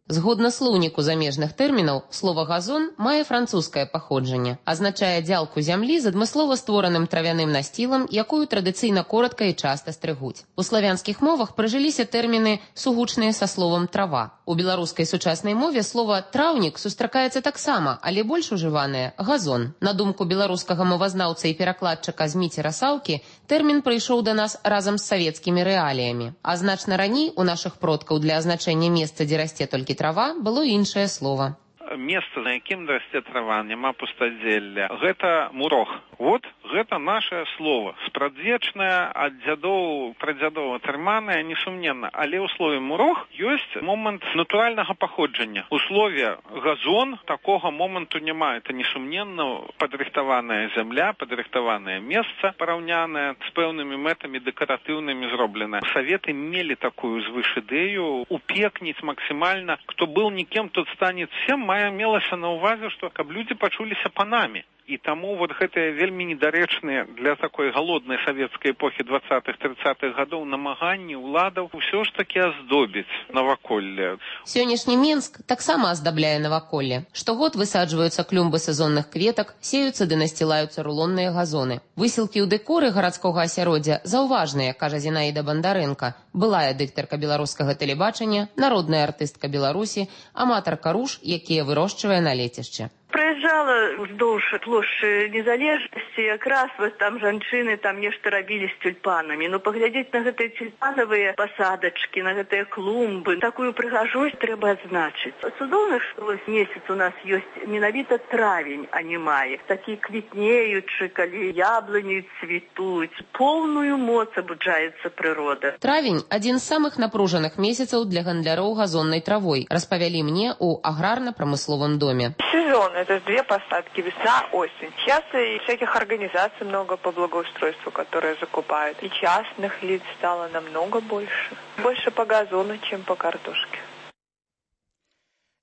I: Згодна слоўніку замежных тэрмінаў, слова «газон» мае французскае паходжанне, азначае дзялку зямлі з адмыслова створаным травяным насцілам, якую традыцыйна коротка і часта стрыгуць. У славянскіх мовах прыжыліся тэрміны, сугучныя са словам «трава». У беларускай сучаснай мове слова «траўнік» сустракаецца таксама, але больш ужыванае «газон». На думку беларускага мовазнаўца і перакладчыка Зміцера Саўкі, тэрмін прыйшоў да нас разам з савецкімі рэаліямі. А значна раней у нашых продкаў для азначэння месца, дзе расце толькі трава, было іншае слова.
T: Месца, на якім расце трава, няма пустазелля. Гэта мурог. Вот гэта наше слово. Спрадвечнае, ад дзядоў, прадзядоў атрыманае, несумненна. Але ў слове мурог ёсць момант натуральнага паходжання. У слове газон такога моманту няма. Это несумненна падрыхтаваная зямля, падрыхтаванае месца, параўнянае з пэўнымі мэтамі дэкаратыўнымі зробленае. Саветы мелі такую звыш ідэю упекніць максімальна. Хто был никем, тот станет всем. Мая мелася на ўвазе, што каб людзі пачуліся панамі. І таму вот гэтыя вельмі недарэчныя для такой галоднай савецкай эпохі 20-30-х гадоў намаганні ўладаў ўсё ж такі аздобіць наваколле.
I: Сённяшні Менск таксама аздабляе наваколле. Штогод высаджваюцца клумбы сезонных кветак, сеюцца ды насцілаюцца рулонныя газоны. Высілкі ў дэкоры гарадскога асяроддзя заўважныя, кажа Зінаіда Бандарэнка, былая дыктарка беларускага тэлебачання, народная артыстка Беларусі, аматарка руж, якія вырошчвае на лецішчы.
L: Праезжала ўздоўж плошчы незалежнасці, якраз вот там жанчыны там нешта рабілі з тюльпанамі. Ну, паглядзець на гэтыя тюльпанавыя пасадачкі, на гэтыя клумбы, такую прыгажосць трэба адзначыць. Цудоўна, што вось месяц у нас ёсць менавіта травень, а не май. Такі квітнеючы, калі яблыні цвітуць, поўную моц абуджаецца прырода.
I: Травень – адзін з самых напружаных месяцаў для гандляроў газоннай травой, распавялі мне ў аграрна-прамысловым доме.
W: Сезон – это две посадки, весна, осень. Сейчас и всяких организаций много по благоустройству, которые закупают. И частных лиц стало намного больше. Больше по газону, чем по картошке.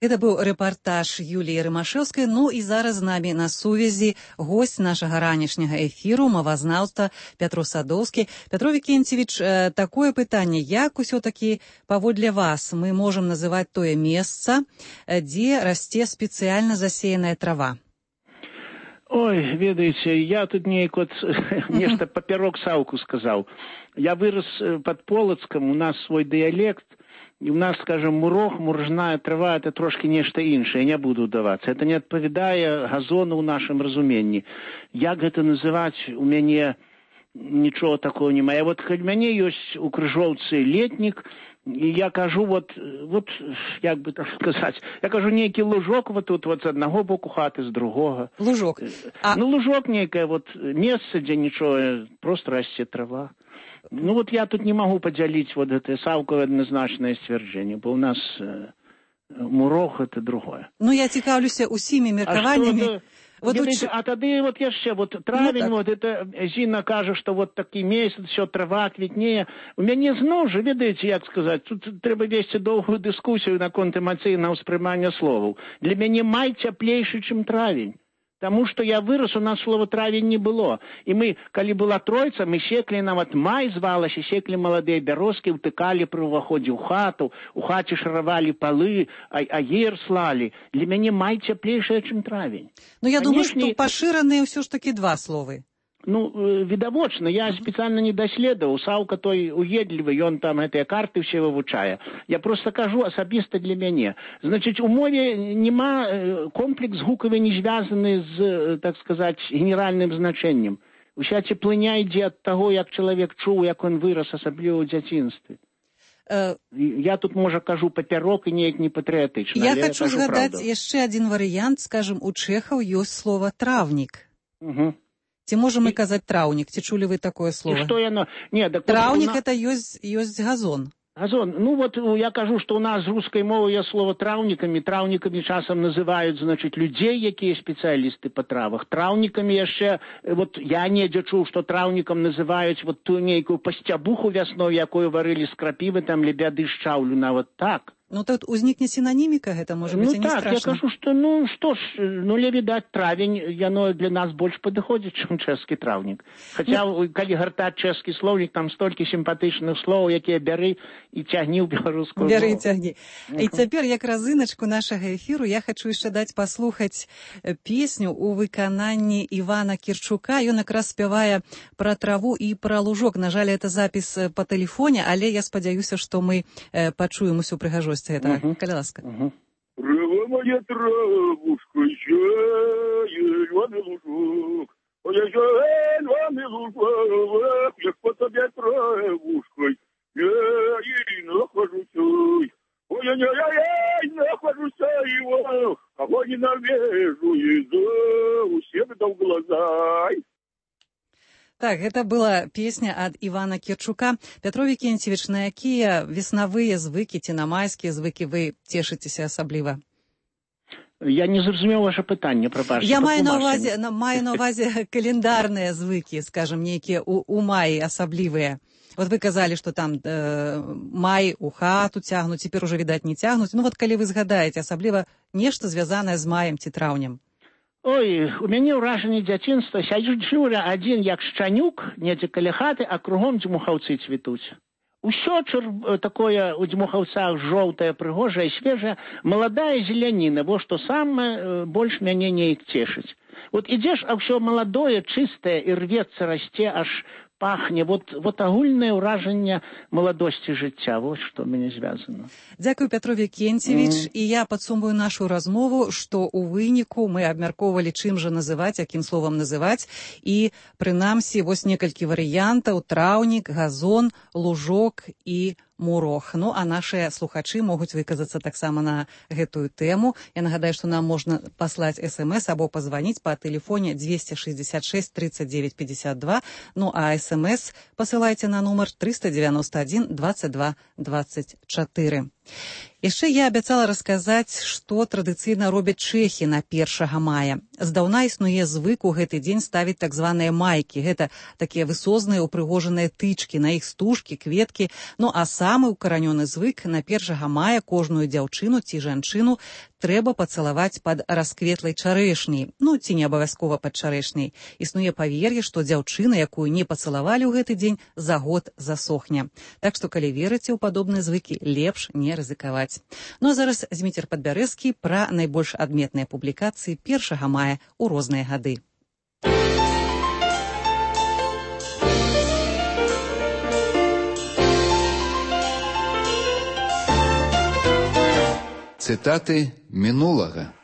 A: Это быў рэпартаж Юліі Рымашэўскай. Ну і зараз з намі на сувязі госць нашага ранішняга эфіру, мовазнаўца Пятро Садоўскі. Пятро Вікенцевіч, такое пытанне, як усё-такі паводле вас мы можам называць тое месца, дзе расце спецыяльна засеяная трава?
X: Ой, ведаеце, я тут неяк вот нешта папярок Саўку сказаў. Я вырос под Полацкам, у нас свой дыялект. І у нас, скажем, мурог, муржная трава – это трошки нешта іншае, я не буду ўдавацца. Это не адпавядае газону ў нашым разуменні. Як гэта называць, у мяне нічого такого няма. Вот калі мяне ёсць у Крыжоўцы летнік, і я кажу, вот як бы так сказаць, я кажу, нейкі лужок вот тут, вот з аднаго боку хаты, з другога.
A: Лужок?
X: Ну, лужок нейкае, вот месца, дзе нічого, просто расце трава. Ну вот я тут не могу поделить вот это Саўковое однозначное сцвярджэнне, бо у нас мурог это другое.
A: Ну я цікаўлюся усімі меркаваннямі.
X: А тады вот яшчэ, вот травень, вот это Зіна кажа, што вот такі месяц, все трава квітнее. У мяне зноў жа, ведаеце, як сказаць, тут трэба весці доўгую дыскусію наконт эмацыйнага ўспрымання словаў. Для мяне май цяплейшы, чым травень. Таму што я вырас, у нас слова травень не было. І мы, калі была тройца, мы секлі, нават май звалася, секлі маладыя бярозкі, ўтыкалі пры ўваходзе ў хату, у хаце шаравалі палы, аер слалі. Для мяне май цяплейшая, чым травень.
A: Ну, я думаю, што пашыраныя ўсё ж такі два словы.
X: Ну, відавочна, я спецыяльна не даследаваў. Саўка той уедлівы, ён там гэтыя карты ўсе вывучае. Я проста кажу асабіста для мяне. Значыць, у мове нема комплекс гукавы не звязаны з, так сказаць, генеральным значэннем. Уся цеплыня ідзе ад таго, як чалавек чуў, як ён вырас, асабліва ў дзяцінстве. Я тут, можа, кажу папярок і неяк не патрыятычна.
A: Я хачу згадаць яшчэ адзін варыянт. Скажам, у чэхаў ёсць слова «травнік». Ці можам мы казаць траўнік? Ці чулі вы такое слово? Траўнік это ёсць газон.
X: Газон. Ну вот я кажу, што ў нас з рускай мовы є слово траўнікамі. Траўнікамі часам называюць, значыць, людзей, якія спецыялісты па травах. Траўнікамі яшчэ, вот я недзе чуў, што траўнікам называюць вот ту нейкую пасцябуху вясной, якую варылі з крапівы, там лебяды шчаўлю, нават так.
A: Ну, тут узнікне синоніміка, гэта можа быць, не страшна.
X: Я кажу, што, што ж, відаць, травень, яно для нас больш падыходзіць, чым чэшскі траўнік. Хаця, калі гартаць чэшскі слоўнік, там столькі сімпатычных словаў, якія бяры і цягні ў беларускую мову.
A: Бяры і цягні. І цяпер, як разыначку нашага эфіру, я хачу яшчэ даць паслухаць песню ў выкананні Івана Кірчука. Ён якраз спявае пра траву і пра лужок. На жаль, это запіс па тэлефоне, але я спадзяюся, што мы пачуем усю прыгажосць. Калі ласка.
K: Трава моя травушка, зеленый лужок, моя зеленый лужок, я по тебе травушкой, я и нахожусь, ой, я нахожусь его, кого ненавижу, и всем дал глаза.
A: Так, гэта была песня ад Івана Кірчука. Пятрові Кенцевіч, на якія веснавыя звыкі ці на майскія звыкі вы цешыцеся асабліва?
X: Я не зразумеў ваше пытанне, прабачце.
A: Я маю на ўвазе календарныя звыкі, скажам, нейкія у маі асаблівыя. Вот вы казалі, што там май у хату цягнуць, цяпер ужо, відаць, не цягнуць. Ну вот калі вы згадаеце, асабліва нешта звязанае з маем ці траўнем.
X: Ой, у мяне ўражанне дзяцінства, сяджу адзін як шчанюк, недзе каля хаты, а кругом дзьмухаўцы цвітуць. Усё такое у дзьмухаўцах жоўтае, прыгожае, свежае, маладая зеляніна, во што самае больш мяне неяк цешыць. Вот ідзеш, а ўсё маладое, чыстае, і рвецца, расце, аж пахне. Вот агульнае ўражанне маладосці жыцця. Вот што мяне звязана.
A: Дзякую, Пятрові Кенцевіч. І я падсумую нашу размову, што ў выніку мы абмяркоўвалі, чым жа называць, якім словам называць. І, прынамсі, вось некалькі варыянтаў: траўнік, газон, лужок і мурох. Ну, а нашыя слухачы могуць выказацца таксама на гэтую тэму. Я нагадаю, што нам можна паслаць смс або пазваніць па тэлефоне 266 39 52. Ну, а смс пасылайце на нумар 391 22 24. Яшчэ я абяцала расказаць, што традыцыйна робяць чэхі на 1 мая. Здаўна існуе звык у гэты дзень ставіць так званыя майкі. Гэта такія высозныя упрыгожаныя тычкі, на іх стужкі, кветкі. Ну, а самы укаранёны звык: на 1 мая кожную дзяўчыну ці жанчыну трэба пацалаваць пад раскветлай чарэшняй. Ну, ці не абавязкова пад чарэшняй. Існуе павер'е, што дзяўчына, якую не пацалавалі ў гэты дзень, за год засохне. Так што, калі верыце ў падобныя звыкі, лепш не рызыкаваць. Ну а зараз Зміцер Падбярэзкі пра найбольш адметныя публікацыі 1 мая ў розныя гады.
M: Цытаты мінулага.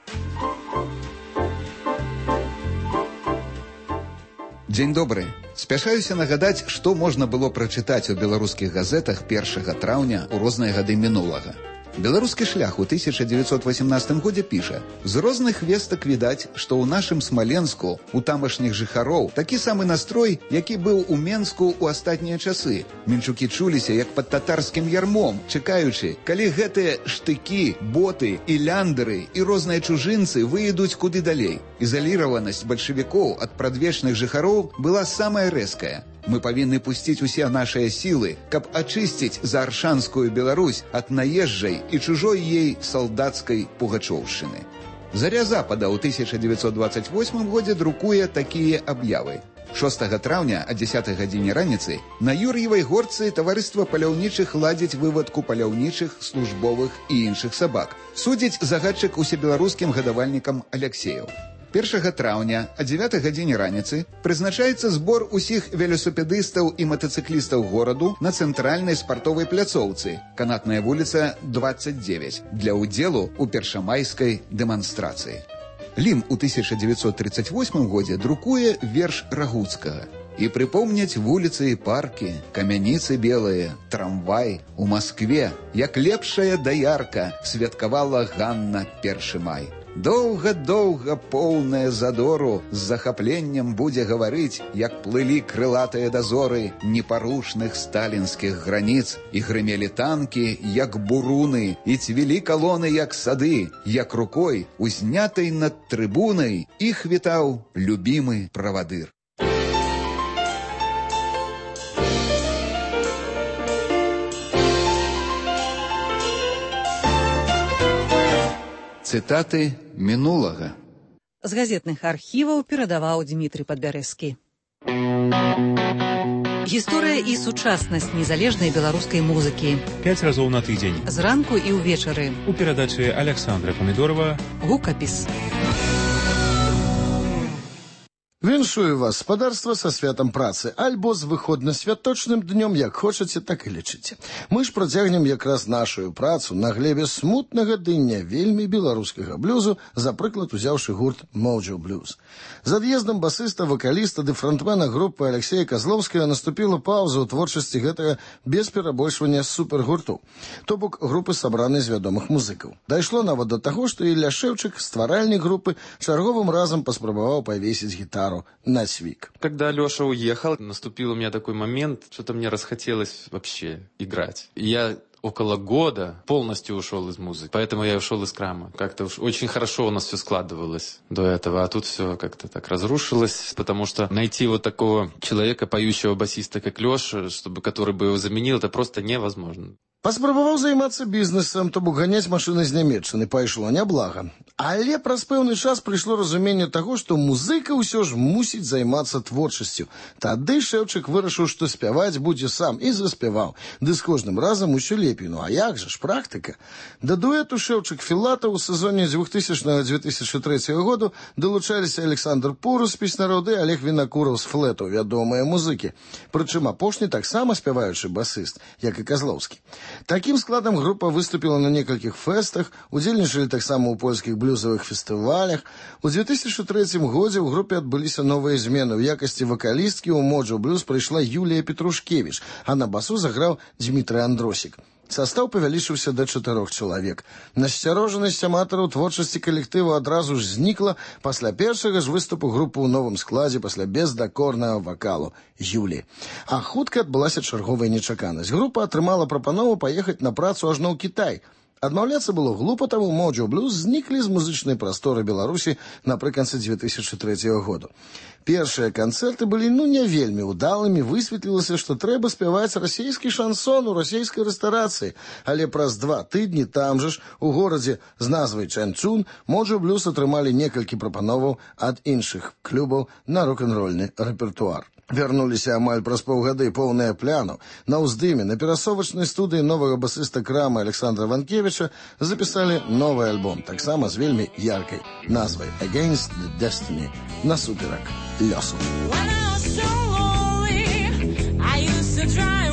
M: Дзень добры. Спяшаюся нагадаць, што можна было прачытаць у беларускіх газетах 1 траўня ў розныя гады мінулага. Беларускі шлях у 1918 годзе піша: з розных вестак відаць, што ў нашым Смаленску у тамашніх жыхароў такі самы настрой, які быў у Менску ў астатнія часы. Менчукі чуліся як пад татарскім ярмом, чакаючы, калі гэтыя штыкі, боты і ляндеры і розныя чужынцы выйдуць куды далей. Ізаліраванасць бальшавікоў ад прадвечных жыхароў была самая рэзкая. Мы павінны пусціць усе нашыя сілы, каб ачысціць зааршанскую Беларусь ад наезджай і чужой ей салдацкай пугачоўшчыны. Заря Запада ў 1928 годзе друкуе такія аб'явы. 6 траўня о 10 гадзіне раніцы на Юр'евай горцы таварыства паляўнічых ладзіць вывадку паляўнічых, службовых і іншых сабак. Судзіць загадчык усебеларускім гадавальнікам Аляксеяў. 1 траўня о 9 гадзіне раніцы прызначаецца збор усіх велосипедыстаў і матацыклістаў гораду на цэнтральнай спартовай пляцоўцы, Канатная вуліца 29, для ўдзелу ў першамайскай дэманстрацыі. Лім у 1938 годзе друкуе верш Рагуцкага. І прыпомняць вуліцы і паркі, камяніцы белыя, трамвай у Маскве, як лепшая даярка святкавала Ганна 1 май. Доўга-доўга поўная задору з захапленнем будзе гаварыць, як плылі крылатыя дазоры непарушных сталінскіх граніц, і грымелі танкі, як буруны, і цвілі калоны, як сады, як рукой, узнятай над трыбунай, іх вітаў любімы правадыр. Цытаты мінулага.
A: З газетных архіваў перадаваў Дмітрый Падбярэзскі. Гісторыя і сучаснасць незалежнай беларускай музыкі.
O: 5 разоў на тыдзень.
A: Зранку і ўвечары.
O: У перадачы Александра Памідорова.
A: Гукапіс.
P: Віншую вас, спадарства, са святам працы, альбо з выходна-святочным днём, як хочаце, так і лічыце. Мы ж працягнем якраз нашую працу на глебе смутнага ды не вельмі беларускага блюзу, за прыклад узяўшы гурт Mojo Blues. З ад'ездам басыста, вакаліста ды фронтмена групы Алексея Козловскага наступіла паўза ў творчасці гэтага без перабольшвання супергурту, то бок групы, сабранай з вядомых музыкаў. Дайшло нават да таго, што Ілля Шэўчык, стваральнік групы, чарговым разам паспрабаваў павесіць гітару на свик.
Q: Когда Леша уехал, наступил у меня такой момент, что-то мне расхотелось вообще играть. Я около года полностью ушел из музыки. Поэтому я ушел из крама. Как-то уж очень хорошо у нас все складывалось до этого. А тут все как-то так разрушилось. Потому что найти вот такого человека, поющего басиста, как Леша, который бы его заменил, это просто невозможно.
P: Паспрабаваў займацца бізнесам, то бок ганяць машыны з Нямецчыны, пайшло няблага. Але праз пэўны час прыйшло разуменне таго, што музыка ўсё ж мусіць займацца творчасцю. Тады Шэўчык вырашыў, што спяваць будзе сам, і заспяваў. Ды з кожным разам усё лепей. Ну а як жа ж, практыка? Да дуэту Шэўчык-Філатаў у сезоне 2000-2003 году далучаліся Александр Пурус з песнярод і Олег Вінакураў з флету, вядомыя музыкі. Прычым апошні таксама спяваючы басыст, як і Козловскі. Такім складам група выступіла на некалькіх фэстах, удзельнічалі таксама ў польскіх блюзавых фестывалях. У 2003 годзе ў групе адбыліся новыя змены. У якасці вакалісткі ў Mojo Blues прыйшла Юлія Петрушкевіч, а на басу заграў Дмітрый Андросік. Састаў павялічыўся да 4 чалавек. Насцярожанасць аматараў творчасці калектыву адразу ж знікла пасля першага ж выступу групы ў новым складзе пасля бездакорнага вакалу Юлі. А хутка адбылася чарговая нечаканасць. Група атрымала прапанову паехаць на працу ажно ў Кітай. Адмаўляцца было глупа, таму Mojo Blues зніклі з музычнай прасторы Беларусі напрыканцы 2003 году. Першыя канцэрты былі не вельмі ўдалымі, высветлілася, што трэба спяваць расійскі шансон у расійскай рэстарацыі. Але праз 2 тыдні там жа ж, у горадзе з назвай Чанчун, Mojo Blues атрымалі некалькі прапановаў ад іншых клубаў на рок-н-рольны рэпертуар. Вярнуліся амаль праз паўгады поўныя пляну. На ўздыме на перасовачнай студыі новага басыста крама Александра Ванкевіча запісалі новы альбом, таксама з вельмі яркай назвай Against the Destiny, насуперак лёсу.
R: When I was so lonely, I used to try